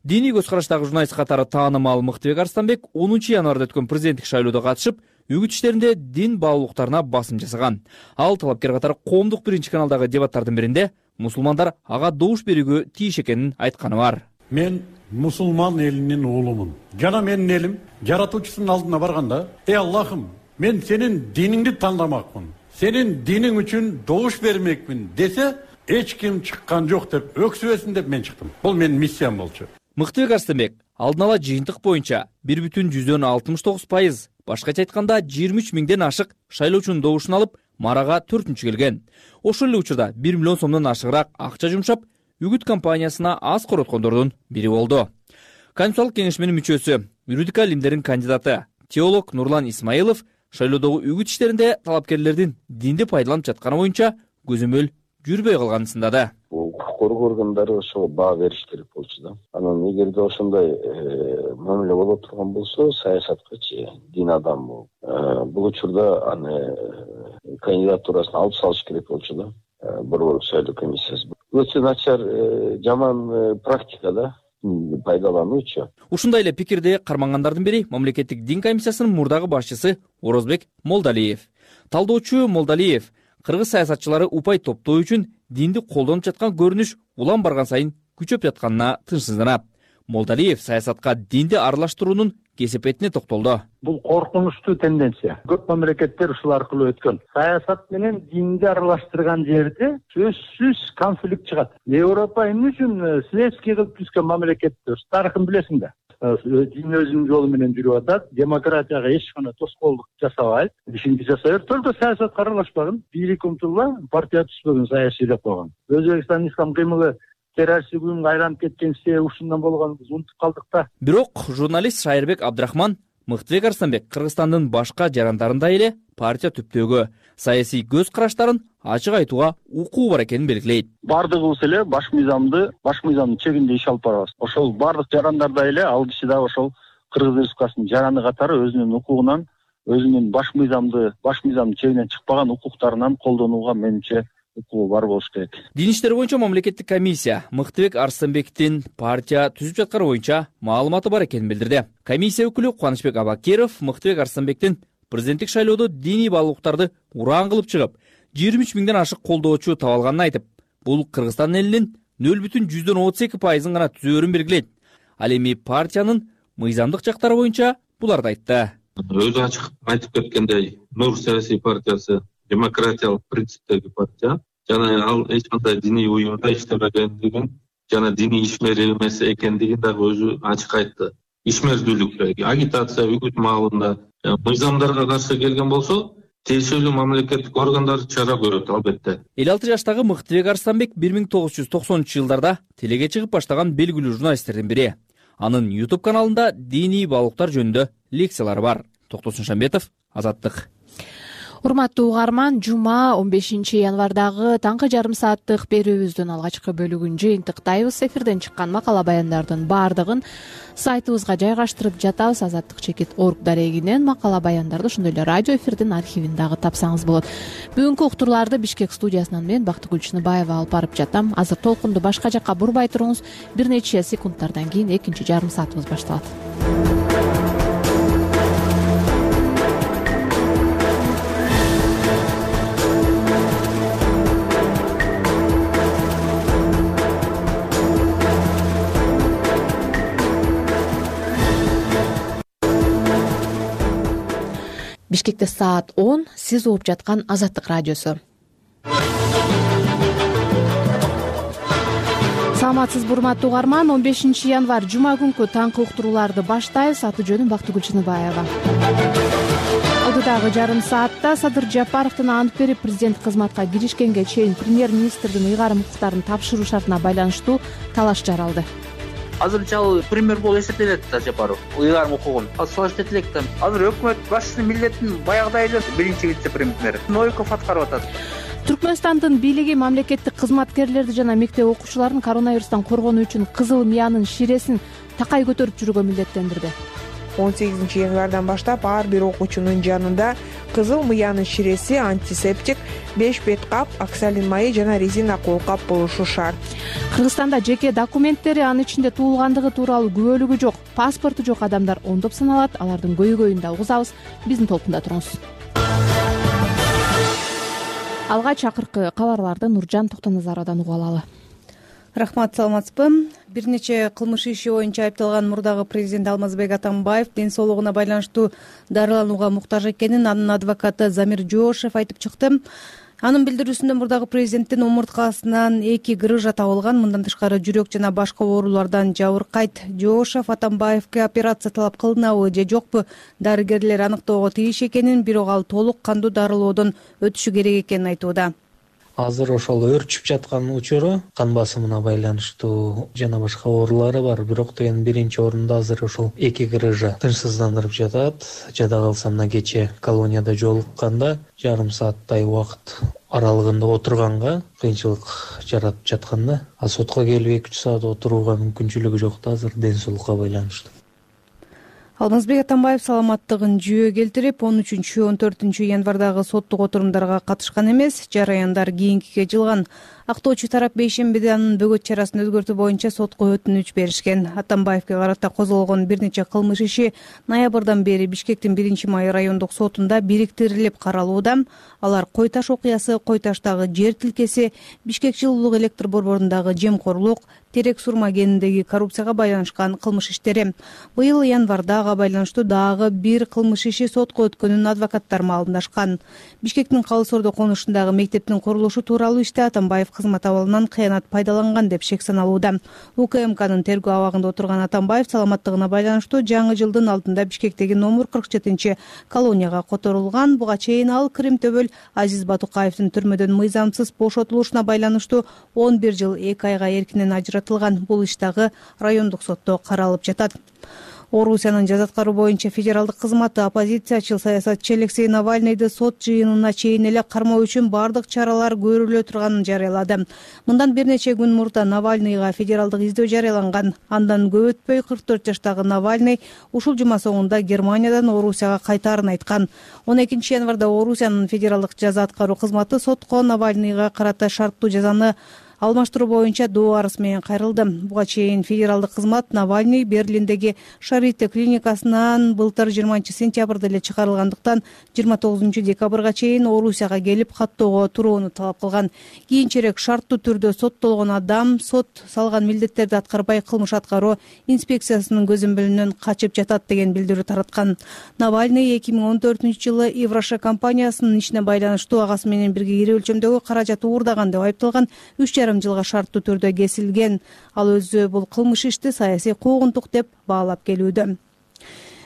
Диний көз караштагы журналист катары таанымал Мыктыбек Арстанбек 10-январда өткөн президенттик шайлоодо катышып, үгүт иштеринде дин баалуулуктарына басым жасаган. Ал талапкер катары коомдук 1-каналдагы дебаттардын биринде мусулмандар ага добуш берүүгө тийиш экенин айтканы бар. Мен мусулман элинин уулумун. Жана менин элим жаратуучусунун алдына барганда, Аллахым, мен сенин диниңди тандамакмын. Сенин диниң үчүн добуш бермекмин десе, эч ким чыккан жок деп өксүбөсүн деп мен чыктым. Бул менин миссиям болчу. Мыктыбек Арстанбек алдын ала жыйынтык боюнча 1,69%, башкача айтканда 23 миңден ашык шайлоочунун добушун алып, марага 4-чү келген. Ошол эле учурда 1 миллион сомдон ашыгыраак акча жумшап, үгүт кампаниясына аз короткондордун бири болду. Конституциялык кеңешменин мүчөсү, юридика илимдеринин кандидаты, теолог Нурлан Исмаилов шайлоодогу үгүт иштеринде талапкерлердин динди пайдаланып жатканы боюнча көзөмөл жүрбөй калганын сындады. Укук коргоо органдары ошого баа бериш керек болчу да. Анан эгерде ошондой мамиле боло турган болсо, саясаткачы дин адамы бул учурда аны кандидатурасын алып салыш керек болчу да. Борбордук шайлоо комиссиясы. Өтө начар, жаман практика да, пайдалануучу. Ушундай эле пикирди кармангандардын бири мамлекеттик дин комиссиясынын мурдагы башчысы Орозбек Молдалиев. Талдоочу Молдалиев кыргыз саясатчылары упай топтоо үчүн динди колдонуп жаткан көрүнүш улам барган сайын күчөп жатканына тынчсызданат. Молдалиев саясатка динди аралаштыруунун кесепетине токтолду. Бул коркунучтуу тенденция. Көп мамлекеттер ушул аркылуу өткөн. Саясат менен динди аралаштырган жерде сөзсүз конфликт чыгат. Европа эмне үчүн светский кылып түзгөн мамлекеттер? Тарыхын билесиң да. Дин өзүнүн жолу менен жүрүп атат, демократияга эч кандай тоскоолдук жасабайт, ишинди жасайбер. Только саясатка аралашпаган, бийлик умтулган, партия түзбөгөн, саясий деп койгон. Өзбекстан ислам кыймылы террористтик уюмга айланып кеткен себеби ушундан болгонун унутуп калдык да. Бирок журналист Шайырбек Абдрахман Мыктыбек Арстанбек Кыргызстандын башка жарандарындай эле партия түптөөгө, саясий көз караштарын ачык айтууга укугу бар экенин белгилейт. Бардыгыбыз эле баш мыйзамдын чегинде иш алып барабыз. Ошол бардык жарандардай эле ал киши да ошол Кыргыз Республикасынын жараны катары өзүнүн укугунан, өзүнүн баш мыйзамдын чегинен чыкпаган укуктарынан колдонууга менимче укугу бар болуш керек. Дин иштери боюнча мамлекеттик комиссия Мыктыбек Арстанбектин партия түзүп жатканы боюнча маалыматы бар экенин билдирди. Комиссия өкүлү Кубанычбек Абакиров Мыктыбек Арстанбектин президенттик шайлоодо диний баалуулуктарды ураан кылып чыгып, 23 миңден ашык колдоочу табылганын айтып, бул Кыргызстан элинин 0,32% гана түзөөрүн белгилейт. Ал эми партиянын мыйзамдык жактары боюнча буларды айтты. Өзү ачык айтып кеткендей, Нур саясий партиясы демократиялык принциптеги партия, жана ал эч кандай диний уюмда иштебегендигин, жана диний ишмер эмес экендигин дагы өзү ачык айтты. Ишмердүүлүк, агитация, үгүт маалында мыйзамдарга каршы келген болсо, тиешелүү мамлекеттик органдар чара көрөт албетте. 56 жаштагы Мыктыбек Арстанбек 1990-жылдарда телеге чыгып баштаган белгилүү журналисттердин бири. Анын YouTube каналында диний баалуулуктар жөнүндө лекциялары бар. Токтосун Шамбетов, Азаттык. Урматтуу угарман, жума 15 январдагы таңкы жарым сааттык берүүбүздүн алгачкы бөлүгүн жыйынтыктайбыз. Эфирден чыккан макала баяндардын баардыгын сайтыбызга жайгаштырып жатабыз. Азаттык-org дарегинен макала баяндарды ошондой эле радио эфирдин архивин дагы тапсаңыз болот. Бүгүнкү уктурларды Бишкек студиясынан мен Бактыгүл Чыныбаева алып барып жатам. Азыр толкунду башка жакка бурбай туруңуз. Бир нече секундтардан кийин экинчи жарым саатыбыз башталат. Бишкекте саат 10, сиз угуп жаткан Азаттык радиосу. Саламатсызбы урматтуу угарман, 15 январь жума күнкү таңкы уктурууларды баштайбыз. Аты жөнүм Бактыгүл Чыныбаева. Алдыдагы жарым саатта Садыр Жапаровдун ант берип президент кызматка киришкенге чейин премьер-министрдин ыйгарым укуктарын тапшыруу шартына байланыштуу талаш жаралды. Азырынча ал премьер болуп эсептелет да Жапаров. Ыйгарым укугун салыштырып элек да. Азыр өкмөт башчысынын милдетин баягыдай эле биринчи вице-премьер Новиков аткарып атат. Түркмөнстандын бийлиги мамлекеттик кызматкерлерди жана мектеп окуучуларын коронавирустан коргонуу үчүн кызыл мыянын ширесин такай көтөрүп жүрүүгө милдеттендирди. 18 январдан баштап ар бир окуучунун жанында кызыл мыянын ширеси, антисептик, 5 бет кап, оксалин майы жана резина колкап болушу шарт. Кыргызстанда жеке документтери, анын ичинде туулгандыгы тууралуу күбөлүгү жок, паспорту жок адамдар ондоп саналат. Алардын көйгөйүн да угузабыз. Биздин толкунда туруңуз. Алгач акыркы кабарларды Нуржан Токтоназаровдон угуп алалы. Рахмат, саламатсызбы. Бир нече кылмыш иши боюнча айыпталган мурдагы президент Алмазбек Атамбаев ден соолугуна байланыштуу дарыланууга муктаж экенин анын адвокаты Замир Жоошев айтып чыкты. Анын билдирүүсүндө мурдагы президенттин омурткасынан 2 грыжа табылган. Мындан тышкары жүрөк жана башка оорулардан жабыркайт. Жоошев Атамбаевге операция талап кылынабы же жокпу дарыгерлер аныктоого тийиш экенин, бирок ал толук кандуу дарылоодон өтүшү керек экенин айтууда. Азыр ошол өрчүп жаткан учуру кан басымына байланыштуу жана башка оорулары бар. Бирок деген биринчи орунда азыр ошол 2 грыжа тынчсыздандырып жатат. Жада калса мына кече колонияда жолукканда жарым сааттай убакыт аралыгында отурганга кыйынчылык жаратып жатканда, а сотко келип 2-3 саат отурууга мүмкүнчүлүгү жок да азыр ден соолукка байланыштуу. Алмазбек Атамбаев саламаттыгын жүйө келтирип, 13-14 январдагы соттук отурумдарга катышкан эмес, жараяндар кийинкиге жылган. Актоочу тарап бейшембиде анын бөгөт чарасын өзгөртүү боюнча сотко өтүнүч беришкен. Атамбаевге карата козголгон бир нече кылмыш иши ноябрдан бери Бишкектин 1-май райондук сотунда бириктирилип каралууда. Алар Кой Таш окуясы, Кой Таштагы жер тилкеси, Бишкек жылуулук электр борборундагы жемкорлук, Терек Сурма кениндеги коррупцияга байланышкан кылмыш иштери. Быйыл январда ага байланыштуу дагы бир кылмыш иши сотко өткөнүн адвокаттар маалымдашкан. Бишкектин Калыс Ордо конушундагы мектептин курулушу тууралуу иште Атамбаев кызмат абалынан кыянат пайдаланган деп шек саналууда. УКМКнын тергөө абагында отурган Атамбаев саламаттыгына байланыштуу жаңы жылдын алдында Бишкектеги номер 47 колонияга которулган. Буга чейин ал Крим Төбөл Азиз Батукаевдин түрмөдөн мыйзамсыз бошотулушуна байланыштуу 11 жыл 2 айга эркинен ажыратылган. Бул иш дагы райондук сотто каралып жатат. Орусиянын жаза аткаруу боюнча федералдык кызматы оппозициячыл саясатчы Алексей Навальныйды сот жыйынына чейин эле кармоо үчүн бардык чаралар көрүлө турганын жарыялады. Мындан бир нече күн мурда Навальныйга федералдык издөө жарыяланган. Андан көп өтпөй 44 жаштагы Навальный ушул жума соңунда Германиядан Орусияга кайтаарын айткан. 12 январда Орусиянын федералдык жаза аткаруу кызматы сотко Навальныйга карата шарттуу жазаны алмаштыруу боюнча доо арыз менен кайрылды. Буга чейин федералдык кызмат Навальный Берлиндеги Шарите клиникасынан былтыр 20 сентябрда эле чыгарылгандыктан 29 декабрга чейин Орусияга келип каттоого турууну талап кылган. Кийинчерээк шарттуу түрдө соттолгон адам сот салган милдеттерди аткарбай кылмыш аткаруу инспекциясынын көзөмөлүнөн качып жатат деген билдирүү тараткан. Навальный 2014-жылы Евроша компаниясынын ишине байланыштуу агасы менен бирге ири өлчөмдөгү каражат уурдаган деп айыпталган. 3,5 жылга шарттуу түрдө кесилген. Ал өзү бул кылмыш ишти саясий куугунтук деп баалап келүүдө.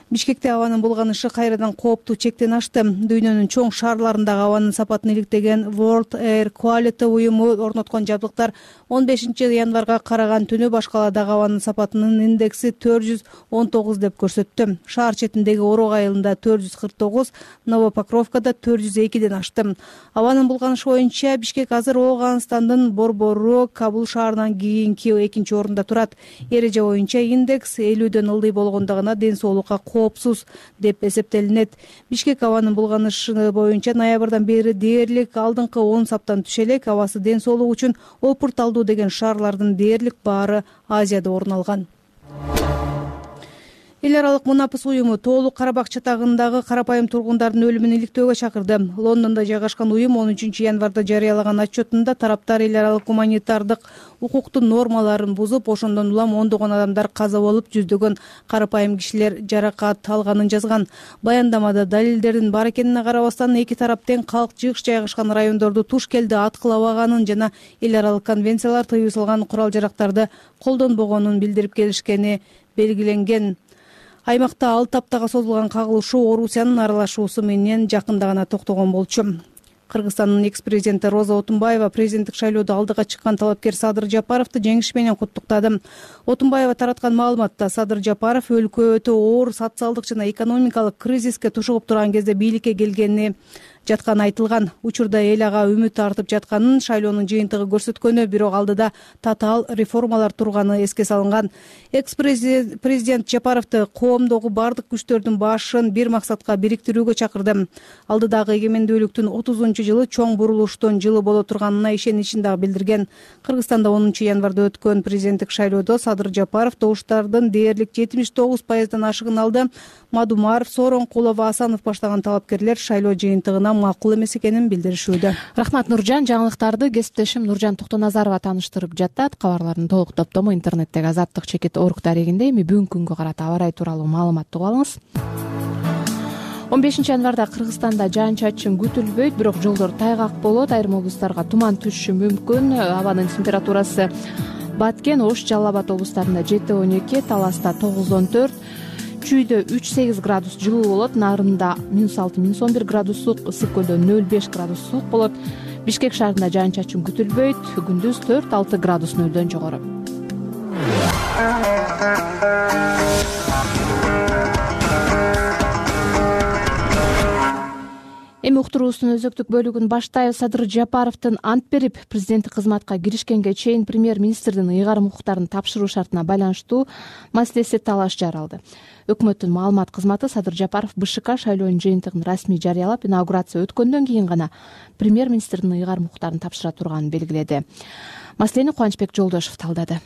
Бишкекте абанын булганышы кайрадан кооптуу чектен ашты. Дүйнөнүн чоң шаарларындагы абанын сапатын иликтеген World Air Quality уюму орноткон жабдыктар 15 январга караган түнү башкаладагы абанын сапатынын индекси 419 деп көрсөттү. Шаар четиндеги Орог айылында 449, Новопокровкада 402ден ашты. Абанын булганышы боюнча Бишкек азыр Ооганстандын Борбору Кабул шаарынан кийинки экинчи орунда турат. Эреже боюнча индекс 50дөн ылдый болгондугуна ден соолукка коопсуз деп эсептелинет. Бишкек абанын булганышы боюнча ноябрдан бери дээрлик алдыңкы 10 саптан түшө элек. Абасы ден соолук үчүн опурталдуу деген шаарлардын дээрлик баары Азияда орун алган. Эл аралык мунапыс уюму Тоолуу Карабак чатагындагы карапайым тургундардын өлүмүн иликтөөгө чакырды. Лондондо жайгашкан уюм 13 январда жарыялаган отчетунда тараптар эл аралык гуманитардык укуктун нормаларын бузуп, ошондон улам ондогон адамдар каза болуп, жүздөгөн карапайым кишилер жаракат алганын жазган. Баяндамада далилдердин бар экенине карабастан эки тарап тең калк жыгыш жайгашкан райондорду туш келди аткылабаганын жана эл аралык конвенциялар тыюу салган курал-жарактарды колдонбогонун билдирип келишкени белгиленген. Аймакта 6 аптага созулган кагылышуу Орусиянын аралашуусу менен жакында гана токтогон болчу. Кыргызстандын экс-президенти Роза Отунбаева президенттик шайлоодо алдыга чыккан талапкер Садыр Жапаровду жеңиш менен куттуктады. Отунбаева тараткан маалыматта Садыр Жапаров өлкө өтө оор социалдык жана экономикалык кризиске тушугуп турган кезде бийликке келгени жатканы айтылган. Учурда эл ага үмүт артып жатканын шайлоонун жыйынтыгы көрсөткөнү, бирок алдыда татаал реформалар турганы эске салынган. Экс-президент Жапаровду коомдогу бардык күчтөрдүн башын бир максатка бириктирүүгө чакырды. Алдыдагы эгемендүүлүктүн 30-жылы чоң бурулуштун жылы боло турганына ишеничин дагы билдирген. Кыргызстанда 10 январда өткөн президенттик шайлоодо Садыр Жапаров добуштардын дээрлик 79%дан ашыгын алды. Мадумаров, Сооронкулов, Асанов баштаган талапкерлер шайлоо жыйынтыгына макул эмес экенин билдиришүүдө. Рахмат Нуржан. Жаңылыктарды кесиптешим Нуржан Токтоназарова тааныштырып жатат. Кабарлардын толук топтому интернеттеги Азаттык чекит орг дарегинде. Эми бүгүнкү күнгө карата аба ырайы тууралуу маалымат угуп алыңыз. 15 январда Кыргызстанда жаан-чачын күтүлбөйт, бирок жолдор тайгак болот. Айрым облустарга туман түшүшү мүмкүн. Абанын температурасы Баткен, Ош, Жалал Абад облустарында 7-12, Таласта 9-14, Чүйдө 3-8 градус жылуу болот. Нарында -6-11 градус суук, Ысык көлдө 0-5 градус суук болот. Бишкек шаарында жаан-чачын күтүлбөйт. Күндүз 4-6 градус нөлдөн жогору. Эми уктуруубуздун өзөктүк бөлүгүн баштайбыз. Садыр Жапаровдун ант берип президенттик кызматка киришкенге чейин премьер-министрдин ыйгарым укуктарын тапшыруу шартына байланыштуу маселеси талаш жаралды. Өкмөттүн маалымат кызматы Садыр Жапаров БШК шайлоонун жыйынтыгын расмий жарыялап, инаугурация өткөндөн кийин гана премьер-министрдин ыйгарым укуктарын тапшыра турганын белгиледи. Маселени Кубанычбек Жолдошов талдады.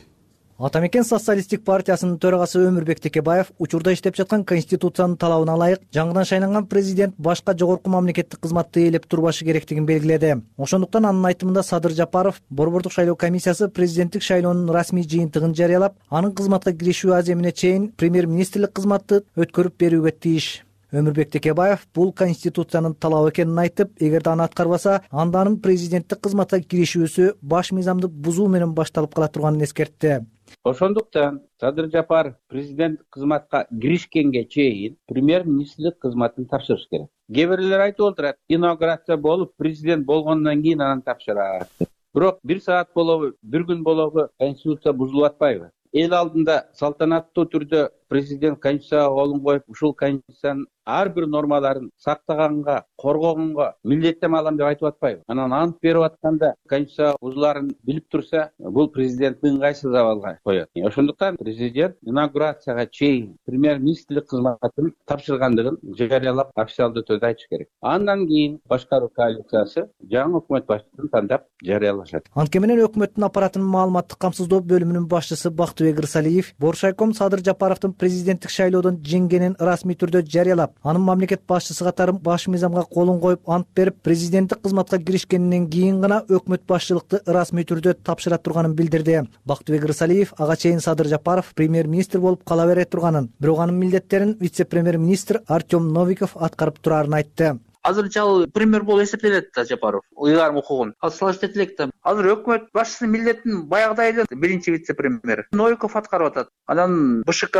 Ата мекен социалисттик партиясынын төрагасы Өмүрбек Текебаев учурда иштеп жаткан конституциянын талабына ылайык жаңыдан шайланган президент башка жогорку мамлекеттик кызматты ээлеп турбашы керектигин белгиледи. Ошондуктан анын айтымында Садыр Жапаров Борбордук шайлоо комиссиясы президенттик шайлоонун расмий жыйынтыгын жарыялап, анын кызматка киришүү аземине чейин премьер-министрлик кызматты өткөрүп берүүгө тийиш. Өмүрбек Текебаев бул конституциянын талабы экенин айтып, эгерде аны аткарбаса, анда анын президенттик кызматка киришүүсү баш мыйзамды бузуу менен башталып кала турганын эскертти. Ошондуктан Садыр Жапаров президент кызматка киришкенге чейин премьер-министрлик кызматын тапшырыш керек. Кээ бирлер айтып отурат, инаугурация болуп, президент болгондон кийин анан тапшырат. Бирок 1 саат болобу, 1 күн болобу конституция бузулуп атпайбы? Эл алдында салтанаттуу түрдө президент конституцияга колун коюп, ушул конституциянын ар бир нормаларын сактаганга, коргогонго милдеттенме алам деп айтып атпайбы? Анан ант берип атканда конституция бузуларын билип турса, бул президенттин ыңгайсыз абалга коет. Ошондуктан президент инаугурацияга чейин премьер-министрлик кызматын тапшыргандыгын жарыялап, официалдуу түрдө айтыш керек. Андан кийин башкаруу коалициясы жаңы өкмөт башчысын тандап жарыялашат. Антке менен өкмөттүн аппаратынын маалыматтык камсыздоо бөлүмүнүн башчысы Бактыбек Рысалиев Боршайком Садыр Жапаровдун президенттик шайлоодон жеңгенин расмий түрдө жарыялап, анын мамлекет башчысы катары баш мыйзамга колун коюп ант берип, президенттик кызматка киришкенинен кийин гана өкмөт башчылыкты расмий түрдө тапшыра турганын билдирди. Бактыбек Рысалиев ага чейин Садыр Жапаров премьер-министр болуп кала бере турганын, бирок анын милдеттерин вице-премьер-министр Артем Новиков аткарып турарын айтты. азырынча ал пример болуп эсептелет да Жапаров ыйгарым укугун ал салыштырып этилек да. Азыр өкмөт башчысынын милдетин баягыдай эле биринчи вице-премьер Новиков аткарып атат. Анан БШК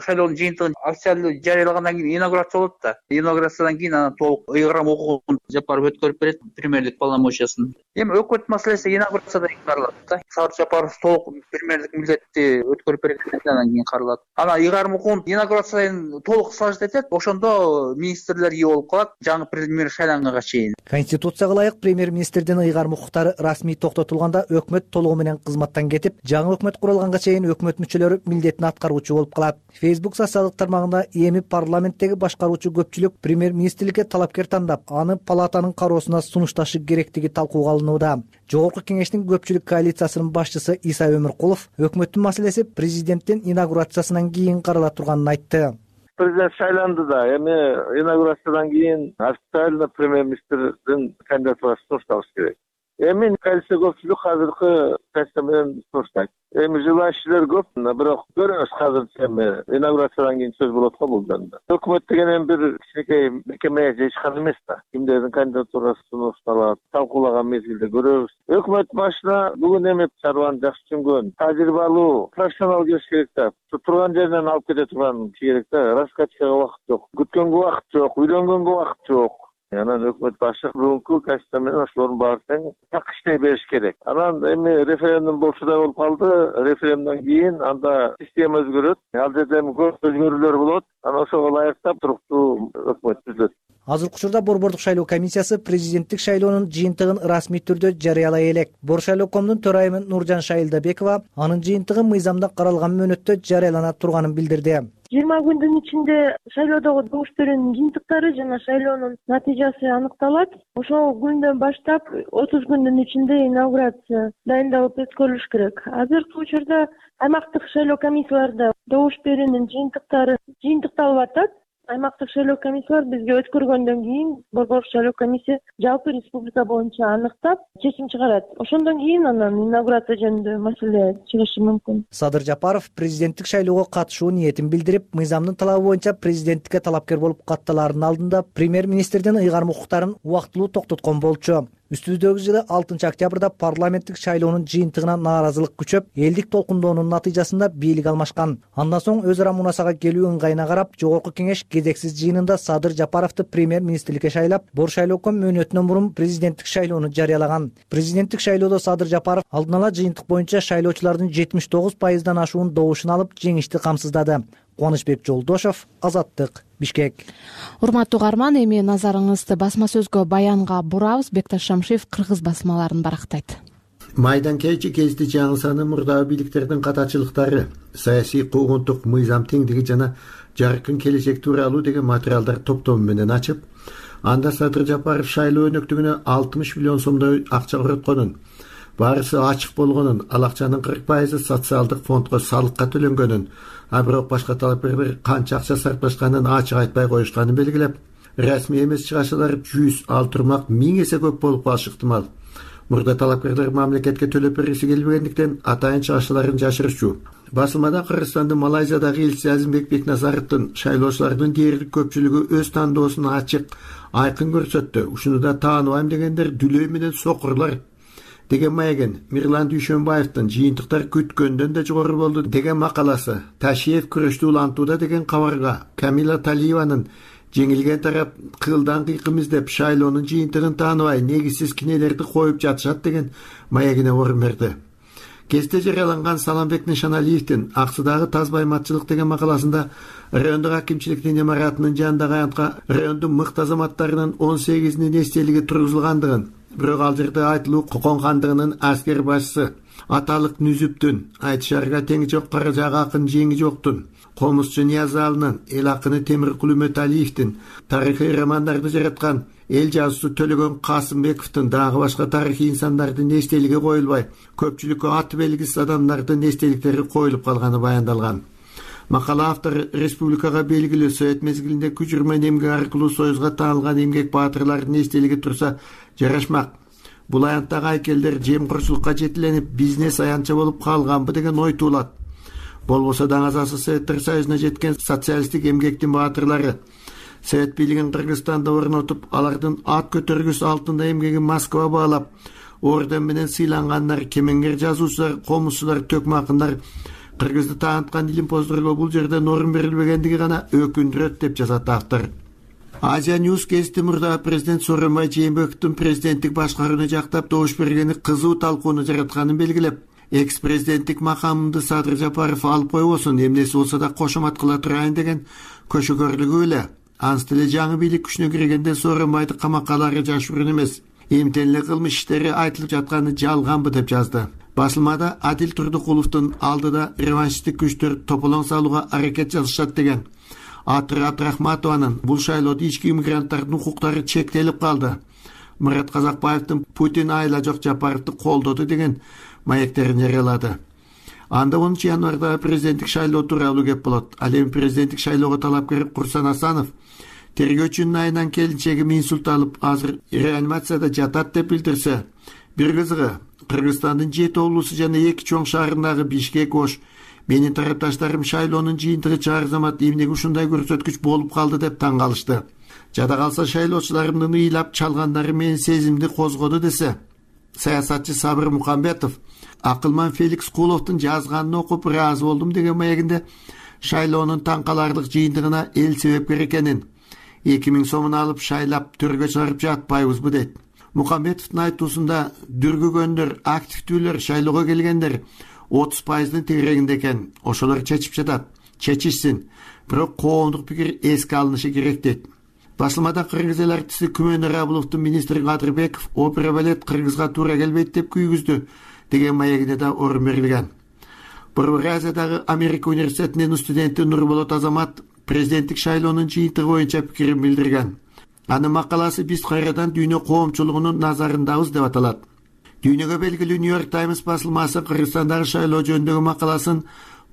шайлоонун жыйынтыгын официалдуу жарыялагандан кийин инаугурация болот да. Инаугурациядан кийин анан толук ыйгарым укугун Жапаров өткөрүп берет, премьерлик полномочиясын. Эми өкмөт маселеси инаугурацияда каралат да. Садыр Жапаров толук премьерлик милдетти өткөрүп берет, андан кийин каралат. Анан ыйгарым укугун инаугурациядан толук салыштырып этет, ошондо министрлер ие болуп калат жаңы премьер шайланганга чейин. Конституцияга ылайык премьер-министрдин ыйгарым укуктары расмий токтотулганда өкмөт толугу менен кызматтан кетип, жаңы өкмөт курулганга чейин өкмөт мүчөлөрү милдетин аткаруучу болуп калат. Facebook социалдык тармагында эми парламенттеги башкаруучу көпчүлүк премьер-министрликке талапкер тандап, аны палатанын кароосуна сунушташы керектиги талкууга алынууда. Жогорку кеңештин көпчүлүк коалициясынын башчысы Иса Өмүркулов өкмөттүн маселеси президенттин инаугурациясынан кийин карала турганын айтты. Президент шайланды да, эми инаугурациядан кийин официально премьер-министрдин кандидатурасы сунушталыш керек. Эми коалиция көпчүлүк азыркы позиция менен суруштайт. Эми желающийлер көп, бирок көрөбүз азырча эми инаугурациядан кийин сөз болот го бул жөнүндө. Өкмөт деген эми бир кичинекей мекеме же ишкана эмес да. Кимдердин кандидатурасы сунушталат, талкуулаган мезгилде көрөбүз. Өкмөт башына бүгүн эми чарбаны жакшы түшүнгөн, тажрыйбалуу, профессионал келиш керек да. Турган жеринен алып кете турган киши керек да. Раскачкага убакыт жок, күткөнгө убакыт жок, үйлөнгөнгө убакыт жок. Анан өкмөт башы бүгүнкү качество менен ошолордун баарын так иштей бериш керек. Анан эми референдум болчу да болуп калды. Референдумдан кийин анда система өзгөрөт. Ал жерде эми көп өзгөрүүлөр болот. Анан ошого ылайыктап туруктуу өкмөт түзүлөт. Азыркы учурда Борбордук шайлоо комиссиясы президенттик шайлоонун жыйынтыгын расмий түрдө жарыялай элек. Боршайлоо.комдун төрайымы Нуржан Шайылдабекова анын жыйынтыгы мыйзамда каралган мөөнөттө жарыялана турганын билдирди. 20 күндүн ичинде шайлоодогу добуш берүүнүн жыйынтыктары жана шайлоонун натыйжасы аныкталат. Ошол күндөн баштап 30 күндүн ичинде инаугурация дайындалып өткөрүлүш керек. Азыркы учурда аймактык шайлоо комиссияларда добуш берүүнүн жыйынтыктары жыйынтыкталып атат. Аймактык шайлоо комиссиялар бизге өткөргөндөн кийин Борбордук шайлоо комиссия жалпы республика боюнча аныктап чечим чыгарат. Ошондон кийин анан инаугурация жөнүндө маселе чыгышы мүмкүн. Садыр Жапаров президенттик шайлоого катышуу ниетин билдирип, мыйзамдын талабы боюнча президенттикке талапкер болуп катталаардын алдында премьер-министрдин ыйгарым укуктарын убактылуу токтоткон болчу. Үстүбүздөгү жылы 6 октябрда парламенттик шайлоонун жыйынтыгына нааразылык күчөп, элдик толкундоонун натыйжасында бийлик алмашкан. Андан соң өз ара мунасага келүү ыңгайына карап, жогорку кеңеш кезексиз жыйынында Садыр Жапаровду премьер-министрликке шайлап, Боршайлоо.ком мөөнөтүнөн мурун президенттик шайлоону жарыялаган. Президенттик шайлоодо Садыр Жапаров алдын ала жыйынтык боюнча шайлоочулардын 79%дан ашуун добушун алып, жеңишти камсыздады. Кубанычбек Жолдошов, Азаттык, Бишкек. Урматтуу угарман, эми назарыңызды басма сөзгө баянга бурабыз. Бекташ Шамшиев кыргыз басмаларын барактайт. Майдан кечи кезде жаңы саны мурдагы бийликтердин катачылыктары, саясий куугунтук мыйзам теңдиги жана жаркын келечек тууралуу деген материалдар топтому менен ачып, анда Садыр Жапаров шайлоо өнөктүгүнө 60 миллион сомдой акча коротконун, баарысы ачык болгонун, ал акчанын 40% социалдык фондго салыкка төлөнгөнүн, а бирок башка талапкерлер канча акча сарпташканын ачык айтпай коюшканын белгилеп, расмий эмес чыгашалар 100, ал турмак 1000 эсе көп болуп калышы ыктымал. Мурда талапкерлер мамлекетке төлөп бергиси келбегендиктен атайын чыгашаларын жашырчу. Басылмада Кыргызстандын Малайзиядагы элчиси Азимбек Бекназаровдун шайлоочулардын дээрлик көпчүлүгү өз тандоосун ачык, айкын көрсөттү. Ушуну да тааныбайм дегендер дүлөй менен сокурлар деген маегин Мирлан Дүйшөнбаевдин жыйынтыктар күткөндөн да жогору болду деген макаласы, Ташиев күрөштү улантууда деген кабарга, Камила Талиеванын жеңилген тарап кылдан кыйкым издеп шайлоонун жыйынтыгын тааныбай негизсиз кинелерди коюп жатышат деген маегине орун берди. Кесте жарыяланган Саламбек Нишаналиевдин Аксудагы тазбайматчылык деген макаласында райондук акимчиликтин имаратынын жанындагы аянтка райондун мыкты азаматтарынын 18-нин эстелиги тургузулгандыгын, бирок ал жерде айтылуу Коконгандыгынын аскер башчысы Аталык Нүзүптүн, Айтшарга теңи жок Каражак акын жеңи жоктун, Комузчу Ниязалынын, эл акыны Темиркул Үмөталиевдин, тарыхый романдарды жараткан эл жазуучусу Төлөгөн Касымбековдун дагы башка тарыхый инсандардын эстелиги коюлбай, көпчүлүккө аты белгисиз адамдардын эстеликтери коюлуп калганы баяндалган. Макала автору республикага белгилүү Совет мезгилинде күч менен эмгек аркылуу союзга таанылган эмгек баатырлардын эстелиги турса жарашмак. Бул аянттагы айкелдер жемкорчулукка жетиленип, бизнес аянча болуп калганбы деген ой туулат. Болбосо даңазасы Советтер Союзуна жеткен социалисттик эмгектин баатырлары совет бийлигин Кыргызстанда орнотуп, алардын ат көтөргүс алтында эмгегин Москва баалап, орден менен сыйлангандар, кемеңгер жазуучулар, комузчулар, төкмө акындар кыргызды тааныткан илимпоздорго бул жерде орун берилбегендиги гана өкүндүрөт деп жазат автор. Азия News гезити мурдагы президент Сооронбай Жээнбековдун президенттик башкарууну жактап добуш бергени кызуу талкууну жаратканын белгилеп, экс-президенттик макамымды Садыр Жапаров алып койбосун, эмнеси болсо да кошомат кыла турайын деген көшөгөрлүгү эле. Ансы деле жаңы бийлик күчүнө киргенде Сооронбайды камакка алары жашыруун эмес, эмтен эле кылмыш иштери айтылып жатканы жалганбы деп жазды. Басылмада Адил Турдукуловдун алдыда реваншисттик күчтөр тополоң салууга аракет жасашат деген. Атыр Абдрахматованын бул шайлоодо ички иммигранттардын укуктары чектелип калды. Мурат Казакбаевдин Путин айла жок Жапаровду колдоду деген маектерин жарыялады. Анда 10 январда президенттик шайлоо тууралуу кеп болот. Ал эми президенттик шайлоого талапкер Курсан Асанов тергөөчүнүн айынан келинчеги инсульт алып, азыр реанимацияда жатат деп билдирсе, бир кызыгы Кыргызстандын 7 облусу жана 2 чоң шаарындагы Бишкек, Ош менин тарапташтарым шайлоонун жыйынтыгы чаар замат эмнеге ушундай көрсөткүч болуп калды деп таң калышты. Жада калса шайлоочуларымдын ыйлап чалгандары менин сезимди козгоду десе, саясатчы Сабыр Мукамбетов акылман Феликс Куловдун жазганын окуп ыраазы болдум деген маегинде шайлоонун таң каларлык жыйынтыгына эл себепкер экенин, 2000 сомун алып шайлап төргө чыгарып жатпайбызбы дейт. Мукамбетовдун айтуусунда дүргүгөндөр, активдүүлөр, шайлоого келгендер 30%-ын тегерегинде экен. Ошолор чечип жатат. Чечишсин. Бирок коомдук пикир эске алынышы керек дейт. Басылмада кыргыз эл артисти Күмөн Рабуловдун министри Кадырбеков опера балет кыргызга туура келбейт деп күйгүздү деген маегине да орун берилген. Бурбазиядагы Америка университетинин студенти Нурболот Азамат президенттик шайлоонун жыйынтыгы боюнча пикирин билдирген. Анын макаласы «Биз кайрадан дүйнө коомчулугунун назарындабыз» деп аталат. Дүйнөгө белгилүү New York Times басылмасы Кыргызстандагы шайлоо жөнүндөгү макаласын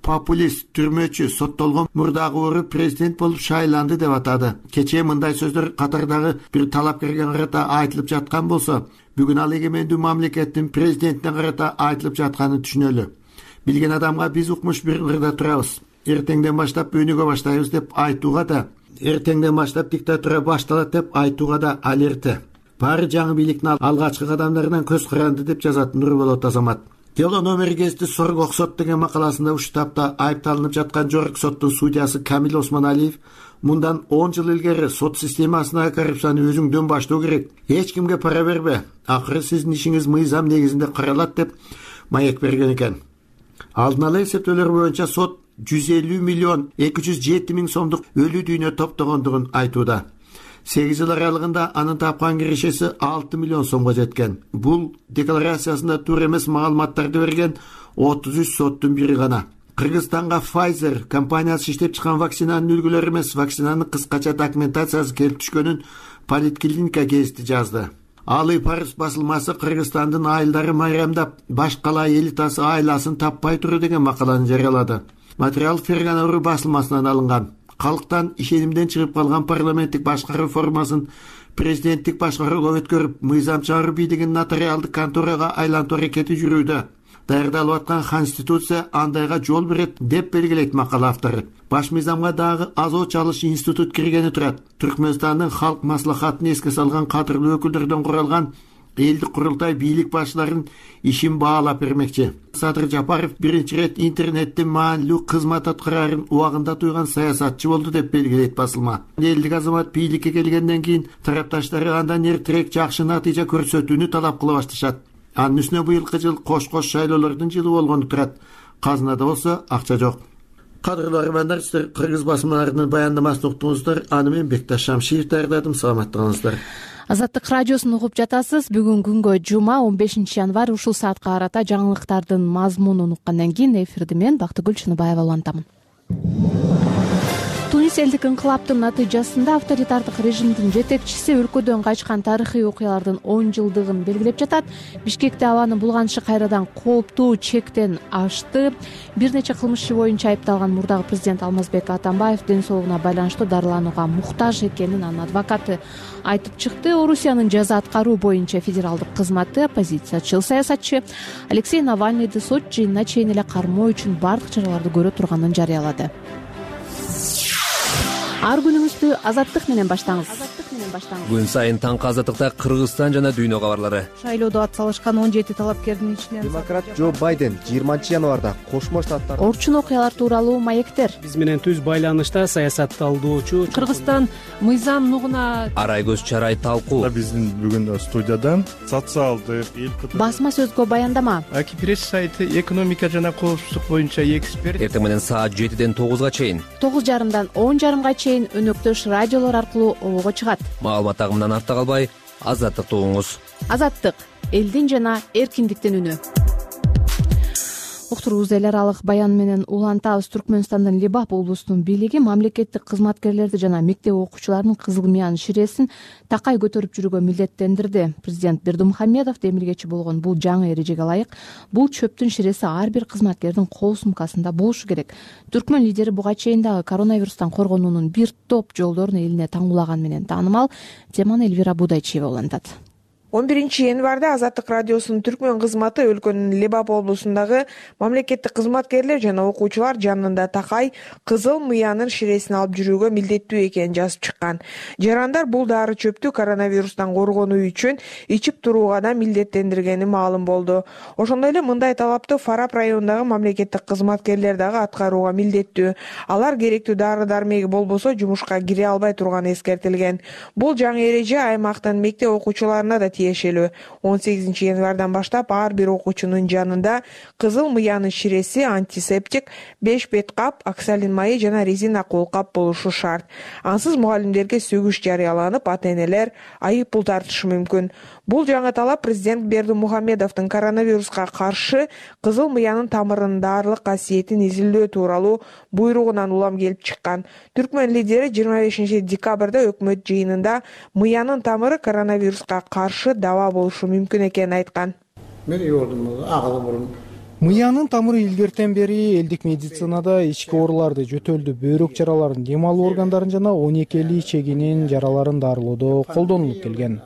популист, түрмөчү, соттолгон мурдагы ору президент болуп шайланды деп атады. Кечээ мындай сөздөр катардагы бир талапкерге карата айтылып жаткан болсо, бүгүн ал эгемендүү мамлекеттин президентине карата айтылып жатканын түшүнөлү. Билген адамга биз укмуш бир ырда турабыз. Эртеңден баштап өнүгө баштайбыз деп айтууга да, эртеңден баштап диктатура башталат деп айтууга да ал эрте. Баары жаңы бийликтин алгачкы кадамдарынан көз каранды деп жазат Нурболот Азамат. Дело номер гезити Соргок сот деген макаласында ушул тапта айыпталынып жаткан жогорку соттун судьясы Камил Осмоналиев мындан 10 жыл илгери сот системасына коррупцияны өзүңдөн баштоо керек. Эч кимге пара бербе. Акыры сиздин ишиңиз мыйзам негизинде каралат деп маек берген экен. Алдын ала эсептөөлөр боюнча сот 150 миллион 207 миң сомдук өлүү дүйнө топтогондугун айтууда. 8 жыл аралыгында анын тапкан кирешеси 6 миллион сомго жеткен. Бул декларациясында туура эмес маалыматтарды берген 33 соттун бири гана. Кыргызстанга Pfizer компаниясы иштеп чыккан вакцинанын үлгүлөрү эмес, вакцинанын кыскача документациясы келип түшкөнүн Политклиника гезити жазды. Алы Парус басылмасы Кыргызстандын айылдары майрамдап, баш кала элитасы айласын таппай туру деген макаланы жарыялады. Материал Ферганору басылмасынан алынган. Калктан ишенимден чыгып калган парламенттик башкаруу формасын президенттик башкарууга өткөрүп, мыйзам чыгаруу бийлигин нотариалдык конторага айлантуу аракети жүрүүдө. Даярдалып аткан конституция андайга жол берет деп белгилейт макала автору. Баш мыйзамга дагы азоо чалыш институт киргени турат. Түркмөнстандын халк маслахатын эске салган кадырлуу өкүлдөрдөн куралган элдик курултай бийлик башчыларын ишин баалап бермекчи. Садыр Жапаров биринчи ирет интернеттин маанилүү кызмат аткарарын убагында туйган саясатчы болду деп белгилейт басылма. Элдик азамат бийликке келгенден кийин тарапташтары андан эртерээк жакшы натыйжа көрсөтүүнү талап кыла башташат. Анын үстүнө быйылкы жыл кош-кош шайлоолордун жылы болгону турат. Казынада болсо акча жок. Кадырлуу армандар, сиздер кыргыз басмаларынын баяндамасын уктуңуздар. Аны мен Бекташ Шамшиев даярдадым. Саламаттыгыңыздар. Азаттык радиосун угуп жатасыз. Бүгүн күнгө жума 15 январь ушул саатка карата жаңылыктардын мазмунун уккандан кийин эфирди мен Бактыгүл Чыныбаева улантамын. Тунис элдик инкылаптын натыйжасында авторитардык режимдин жетекчиси өлкөдөн качкан тарыхый окуялардын 10 жылдыгын белгилеп жатат. Бишкекте абанын булганышы кайрадан кооптуу чектен ашты. Бир нече кылмыш иши боюнча айыпталган мурдагы президент Алмазбек Атамбаев ден соолугуна байланыштуу дарыланууга муктаж экенин анын адвокаты айтып чыкты. Орусиянын жаза аткаруу боюнча федералдык кызматы оппозициячыл саясатчы Алексей Навальныйды сот жыйынына чейин эле кармоо үчүн бардык чараларды көрө турганын жарыялады. ар күнүңүздү Азаттык менен баштаңыз. Күн сайын таңкы Азаттыкта Кыргызстан жана дүйнө кабарлары. Шайлоодо ат салышкан 17 талапкердин ичинен демократ Джо Байден 20 январда Кошмо Штаттар Орчун окуялар тууралуу маектер. Биз менен түз байланышта саясатталуучу Кыргызстан мыйзам нугуна Арай көз чарай талкуу. Биздин бүгүн студиядан социалдык басма сөзгө баяндама. Акипресс сайты экономика жана коопсуздук боюнча эксперт. Эртең менен саат 7ден 9га чейин 9:30дан 10:30га чейин өнөктөш радиолор аркылуу обого чыгат. Маалымат агымынан артта калбай, Азаттыкты угуңуз. Азаттык — элдин жана эркиндиктин үнү. Уктуруубузду эл аралык баян менен улантабыз. Түркмөнстандын Лебап облусунун бийлиги мамлекеттик кызматкерлерди жана мектеп окуучуларынын кызыл мыянын ширесин такай көтөрүп жүрүүгө милдеттендирди. Президент Бердымухамедов демилгечи болгон бул жаңы эрежеге ылайык бул чөптүн ширеси ар бир кызматкердин кол сумкасында болушу керек. Түркмөн лидери буга чейин дагы коронавирустан коргонуунун бир топ жолдорун элине таңуулаган менен таанымал. Теманы Элвира Будайчиева улантат. 11 январда Азаттык радиосунун түркмөн кызматы өлкөнүн Лебап облусундагы мамлекеттик кызматкерлер жана окуучулар жанында такай кызыл мыянын ширесин алып жүрүүгө милдеттүү экенин жазып чыккан. Жарандар бул дары чөптү коронавирустан коргонуу үчүн ичип турууга да милдеттендиргени маалым болду. Ошондой эле мындай талапты Фарап районундагы мамлекеттик кызматкерлер дагы аткарууга милдеттүү. Алар керектүү дары дармеги болбосо жумушка кире албай турганы эскертилген. Бул жаңы эреже аймактын мектеп окуучуларына да тиешелүү. 18 январдан баштап ар бир окуучунун жанында кызыл мыянын ширеси, антисептик, 5 бет кап, оксалин майы жана резина кол кап болушу шарт. Ансыз мугалимдерге сөгүш жарыяланып, ата-энелер айып пул тартышы мүмкүн. Бул жаңы талап президент Бердымухамедовдун коронавируска каршы кызыл мыянын тамырынын даарылык касиетин изилдөө тууралуу буйругунан улам келип чыккан. Түркмөн лидери 25 декабрда өкмөт жыйынында мыянын тамыры коронавируска каршы даба болушу мүмкүн экенин айткан. Мен үйөрдүм агалы бурун. Мыянын тамыры илгертен бери элдик медицинада ички ооруларды, жөтөлдү, бөйрөк жараларын, дем алуу органдарын жана 12 чегинин жараларын дарылоодо колдонулуп келген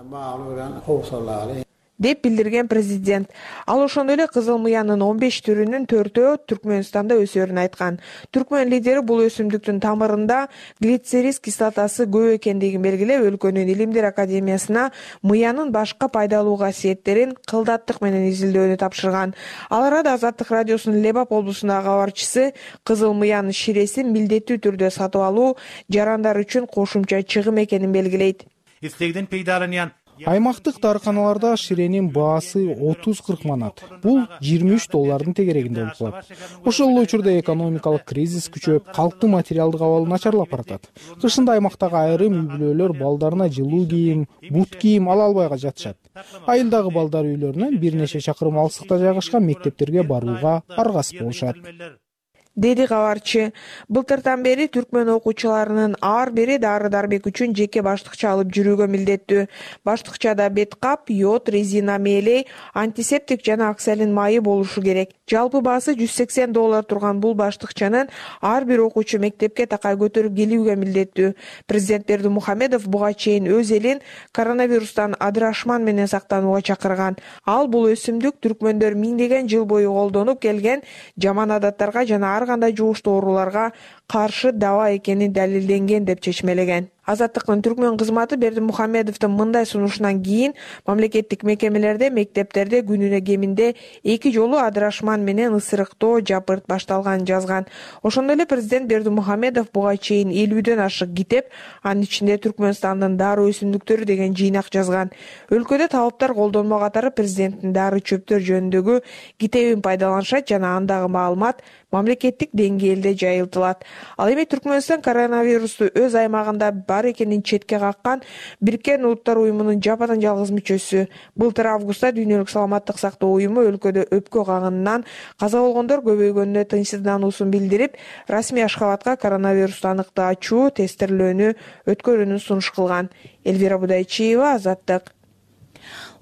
деп билдирген президент. Ал ошондой эле кызыл мыянын 15 түрүнүн 4-өө Түркмөнстанда өсөрүн айткан. Түркмөн лидери бул өсүмдүктүн тамырында глицерис кислотасы көп экендигин белгилеп, өлкөнүн Илимдер академиясына мыянын башка пайдалуу касиеттерин кылдаттык менен изилдөөнү тапшырган. Ал арада Азаттык радиосунун Лебап облусундагы кабарчысы кызыл мыянын ширесин милдеттүү түрдө сатып алуу жарандар үчүн кошумча чыгым экенин белгилейт. Аймактык дарыканаларда ширенин баасы 30-40 манат. Бул $23 тегерегинде болуп калат. Ошол эле учурда экономикалык кризис күчөп, калктын материалдык абалы начарлап баратат. Кышында аймактагы айрым үй-бүлөлөр балдарына жылуу кийим, бут кийим ала албай жатышат. Айылдагы балдар үйлөрүнөн бир нече чакырым алыстыкта жайгашкан мектептерге барууга аргасыз болушат, деди кабарчы. Былтыртан бери түркмөн окуучуларынын ар бири дары-дармек үчүн жеке баштыкча алып жүрүүгө милдеттүү. Баштыкчада бет кап, йод, резина мээлей, антисептик жана оксалин майы болушу керек. Жалпы баасы $180 турган бул баштыкчанын ар бир окуучу мектепке такай көтөрүп келүүгө милдеттүү. Президент Бердымухамедов буга чейин өз элин коронавирустан адырашман менен сактанууга чакырган. Ал бул өсүмдүк түркмөндөр миңдеген жыл бою колдонуп келген жаман адаттарга жана ар кандай жугуштуу ооруларга каршы даба экени далилденген деп чечмелеген. Азаттыктын түркмөн кызматы Бердимухамедовдун мындай сунушунан кийин мамлекеттик мекемелерде, мектептерде күнүнө кеминде 2 жолу адырашман менен ысырыктоо, жапырт башталганын жазган. Ошондой эле президент Бердимухамедов буга чейин 50дөн ашык китеп, анын ичинде Түркмөнстандын дары өсүмдүктөрү деген жыйнак жазган. Өлкөдө талаптар колдонмо катары президенттин дары чөптөр жөнүндөгү китебин пайдаланышат жана андагы маалымат мамлекеттик деңгээлде жайылтылат. Ал эми Түркмөнстан коронавирусту өз аймагында бар экенин четке каккан Бириккен Улуттар уюмунун жападан жалгыз мүчөсү. Былтыр августта Дүйнөлүк саламаттык сактоо уюму өлкөдө өпкө кагынынан каза болгондор көбөйгөнүнө тынчсыздануусун билдирип, расмий Ашхабадка коронавирусту аныктаачу тестирлөөнү өткөрүүнү сунуш кылган. Элвира Будайчиева, Азаттык.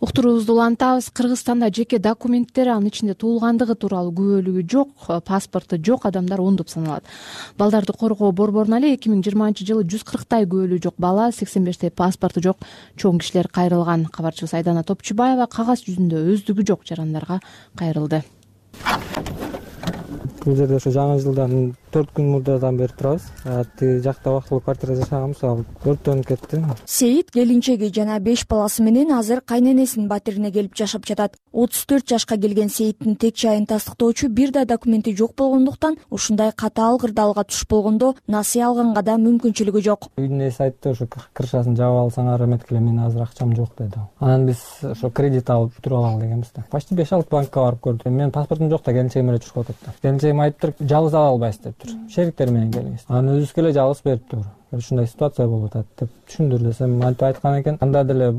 Уктуруубузду улантабыз. Кыргызстанда жеке документтери, анын ичинде туулгандыгы тууралуу күбөлүгү жок, паспорту жок адамдар ондоп саналат. Балдарды коргоо борборуна эле 2020-жылы 140 күбөлүгү жок бала, 85 паспорту жок чоң кишилер кайрылган. Кабарчыбыз Айдана Топчубаева кагаз жүзүндө өздүгү жок жарандарга кайрылды. Бул жерде ошо жаңы жылдан 4 күн мурдадан бери турабыз. Тиги жакта убактылуу квартира жашаганбыз, ал өрттөнүп кетти. Сейит келинчеги жана 5 баласы менен азыр кайненесинин батирине келип жашап жатат. 34 жашка келген Сейиттин тек жайын тастыктоочу бир да документи жок болгондуктан ушундай катаал кырдаалга туш болгондо насыя алганга да мүмкүнчүлүгү жок. Үйдүн ээси айтты, ошо крышасын жаап алсаң эметкиле, мен азыр акчам жок деди. Анан биз ошо кредит алып бүтүрүп алалы дегенбиз да. Почти 5-6 банкка барып көрдүк. Менин паспортум жок да, келинчегим эле чуркап атат. Келинчегим айтыптыр, жалгыз ала албайсыз дептир. Шериктер менен келиңиз. Анан өзүбүзгө эле жалгыз бериптир. Ушундай ситуация болуп атат деп түшүндүр десем, антип айткан экен. Анда деле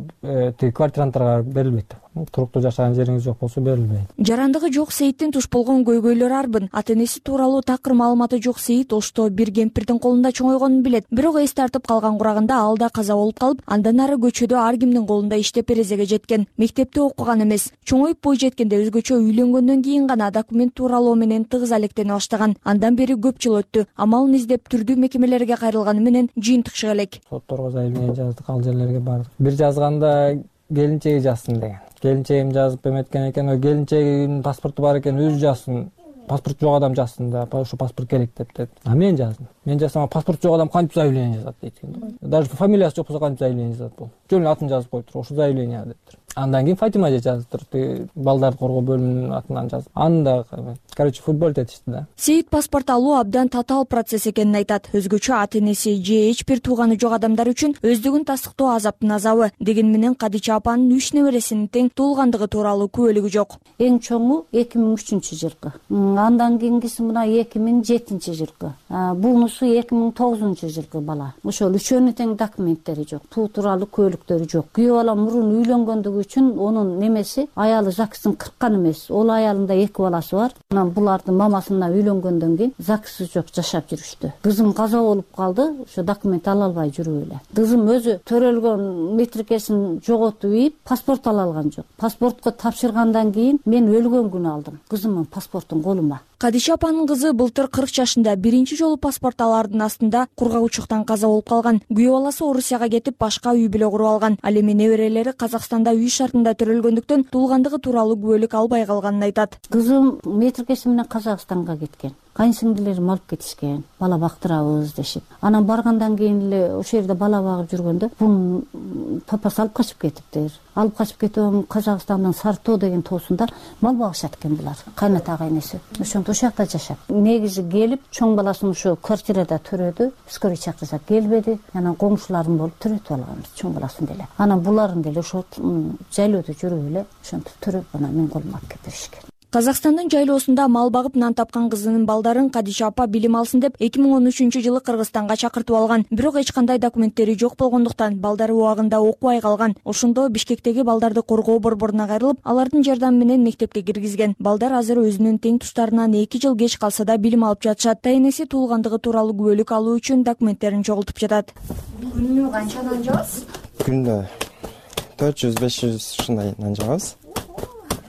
тиги квартиранттарга берилбейт. Туруктуу жашаган жериңиз жок болсо берилбейт. Жарандыгы жок Сейиттин туш болгон көйгөйлөрү арбын. Ата-энеси тууралуу такыр маалыматы жок Сейит Ошто бир кемпирдин колунда чоңойгонун билет. Бирок эс тартып калган курагында ал да каза болуп калып, андан ары көчөдө ар кимдин колунда иштеп эрезеге жеткен. Мектепте окуган эмес. Чоңоюп бой жеткенде өзгөчө үйлөнгөндөн кийин гана документ тууралоо менен тыгыз алектене баштаган. Андан бери көп жыл өттү. Амалын издеп түрдүү мекемелерге кайрылганы менен жыйынтык чыга элек. Сотторго заявление жаздык, ал жерлерге бардык. Бир жазганда келинчеги жазсын деген. Келинчегим жазып эметкен экен, келинчегинин паспорту бар экен, өзү жазсын. Паспорт жок адам жазсын да, ошо паспорт керек деп деди. Мен жаздым. Мен жазсам, паспорт жок адам кантип заявление жазат дейт экен. Даже фамилиясы жок болсо кантип заявление жазат бул? Жөн атын жазып коюптур, ошо заявление дептир. Андан кийин Фатима эже жазыптыр, балдарды коргоо бөлүмүнүн атынан жазып. Аны да, футбол этишти да. Сейит паспорт алуу абдан татаал процесс экенин айтат. Өзгөчө ата-энеси же эч бир тууганы жок адамдар үчүн өздүгүн тастыктоо азаптын азабы. Деген менен Кадича апанын 3 небересинин тең туулгандыгы тууралуу күбөлүгү жок. Эң чоңу 2003 жылкы. Андан кийинкиси мына 2007 жылкы. Бунусу 2009 жылкы бала. Ошол үчөөнүн тең документтери жок. Туу тууралуу күбөлүктөрү жок. Күйөө бала мурун үйлөнгөндүгү үчүн онун немеси аялы ЗАГСтын кырккан эмес. Ол аялында 2 баласы бар. Анан булардын мамасына үйлөнгөндөн кийин ЗАГС жок жашап жүрүштү. Кызым каза болуп калды, ошо документ ала албай жүрүп эле. Кызым өзү төрөлгөн метрикесин жоготуп ийип, паспорт ала алган жок. Паспортко тапшыргандан кийин мен өлгөн күнү алдым кызымдын паспортун колума. Кадиша апанын кызы былтыр 40 жашында биринчи жолу паспорт алаардын астында кургагучтуктан каза болуп калган. Күйөө баласы Орусияга кетип, башка үй бүлө куруп алган. Ал эми неберелери Казакстанда үй шартында төрөлгөндүктөн туулгандыгы тууралуу күбөлүк албай калганын айтат. Кызым метрикеси менен Казакстанга кеткен. Кайынсиңдилерим алып кетишкен, бала бактырабыз дешип. Анан баргандан кийин эле ошол жерде бала багып жүргөндө бунун папасы алып качып кетиптир. Алып качып кетип, Казакстандын Сартоо деген тоосунда мал багышат экен булар. Кайната кайнеси. Ошондо ошол жакта жашап. Негизи келип, чоң баласын ошо квартирада төрөдү. Скорый чакырса келбеди. Анан коңшуларым болуп төрөтүп алганбыз чоң баласын деле. Анан буларын деле ошо жайлоодо жүрүп эле ошентип төрөп, анан мен колума алып келип беришкен. Казакстандын жайлоосунда мал багып нан тапкан кызынын балдарын Кадича апа билим алсын деп 2013 жылы Кыргызстанга чакыртып алган. Бирок эч кандай документтери жок болгондуктан балдары убагында окубай калган. Ошондо Бишкектеги балдарды коргоо борборуна кайрылып, алардын жардамы менен мектепке киргизген. Балдар азыр өзүнүн тең туштарынан 2 жыл кеч калса да билим алып жатышат. Ата-энеси туулгандыгы тууралуу күбөлүк алуу үчүн документтерин чогултуп жатат. Күнүнө канча нан жабасыз? Күндө 400-500 ушундай нан жабабыз.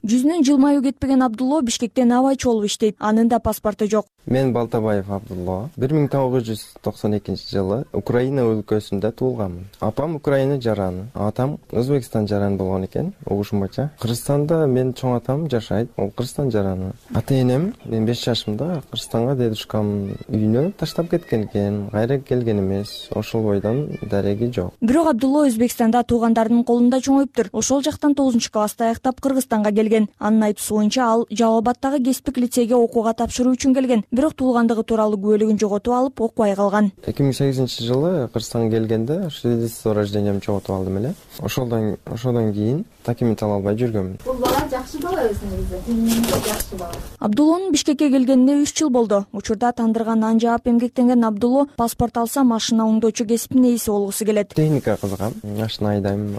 Жүзүнөн жылмаюу кетпеген Абдулло Бишкектен абайчы болуп иштейт. Анын да паспорту жок. Мен Балтабаев Абдулло. 1992 жылы Украина өлкөсүндө туулганмын. Апам Украина жараны, атам Өзбекстан жараны болгон экен, угушум боюнча. Кыргызстанда мен чоң атам жашайт, ол Кыргызстан жараны. Ата-энем мен 5 жашымда Кыргызстанга дедушкам үйүнө таштап кеткен экен, кайра келген эмес. Ошол бойдон дареги жок. Бирок Абдулло Өзбекстанда туугандарынын колунда чоңоюптур. Ошол жактан 9-класста аяктап Кыргызстанга келген. Анын айтуусу боюнча ал Жалал Абаддагы кесиптик лицейге окууга тапшыруу үчүн келген. Бирок туулгандыгы тууралуу күбөлүгүн жоготуп алып, окубай калган. 2008 жылы Кыргызстанга келгенде свидетельство рождениямды жоготуп алдым эле. Ошодон кийин документ ала албай жүргөмүн. Бул бала жакшы бала өзүнүн жакшы бала. Абдуллонун Бишкекке келгенине 3 жыл болду. Учурда тандырга нан жаап эмгектенген Абдулло паспорт алса машина оңдоочу кесиптин ээси болгусу келет. Техника кызыгам. Машина айдайм,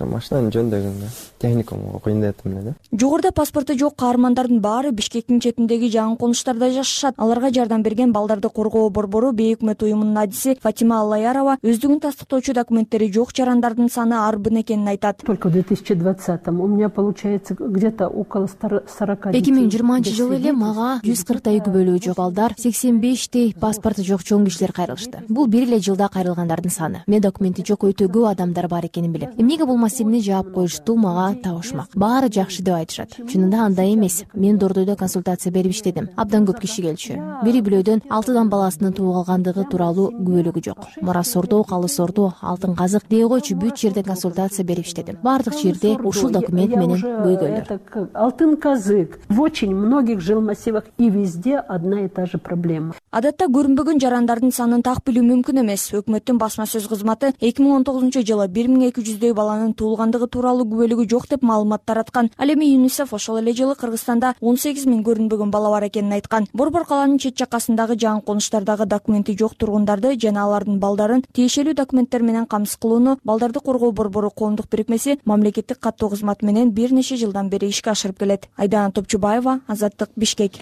машинаны жөндөгөнгө техникумга окуйн дедим эле да. Жогоруда паспорту жок каармандардын баары Бишкектин четиндеги жаңы конуштарда жашашат. аларга жардам берген балдарды коргоо борбору бейөкмөт уюмунун адиси Фатима Аллаярова өздүгүн тастыктоочу документтери жок жарандардын саны арбын экенин айтат. Только в 2020-м у меня получается где-то около 40. 2020 эле мага 140 күбөлүү жок балдар, 85 паспорту жок чоң кишилер кайрылышты. Бул бир эле жылда кайрылгандардын саны. Мен документи жок өтө көп адамдар бар экенин билем. Эмнеге бул маселени жаап коюшту мага табышмак. Баары жакшы деп айтышат. Чынында андай эмес. Мен Дордойдо консультация берип иштедим. Абдан көп киши келчү. Бири бирөөдөн 6 баласынын тууп алгандыгы тууралуу күбөлүгү жок. Мурас ордо, калыс ордо, алтын казык дей койчу бүт жерде консультация берип иштедим. Баардык жерде ушул документ менен көйгөйлөр. Алтын казык в очень многих жилмассивах и везде одна и та же проблема. Адатта көрүнбөгөн жарандардын санын так билүү мүмкүн эмес. Өкмөттүн басма сөз кызматы 2019-жылы 1200 баланын туулгандыгы тууралуу күбөлүгү жок деп маалымат тараткан. Ал эми ЮНИСЕФ ошол эле жылы Кыргызстанда 18 000 көрүнбөгөн бала бар экенин айткан. Борбор калаанын чет жакасындагы жаңы конуштардагы документи жок тургундарды жана алардын балдарын тиешелүү документтер менен камсыз кылууну балдарды коргоо борбору коомдук бирикмеси мамлекеттик каттоо кызматы менен бир нече жылдан бери ишке ашырып келет. Айдана Топчубаева, Азаттык, Бишкек.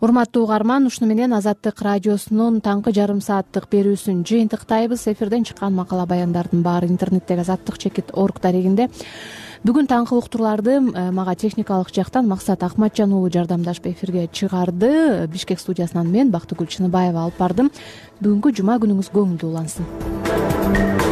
Урматтуу угарман, ушуну менен Азаттык радиосунун таңкы жарым сааттык берүүсүн жыйынтыктайбыз. Эфирден чыккан макала баяндардын баары интернеттеги azattik.org дарегинде. Бүгүн таңкы уктурларды мага техникалык жактан Максат Акматжан уулу жардамдашып эфирге чыгарды. Бишкек студиясынан мен Бактыгүл Чыныбаева алып бардым. Бүгүнкү жума күнүңүз көңүлдүү улансын.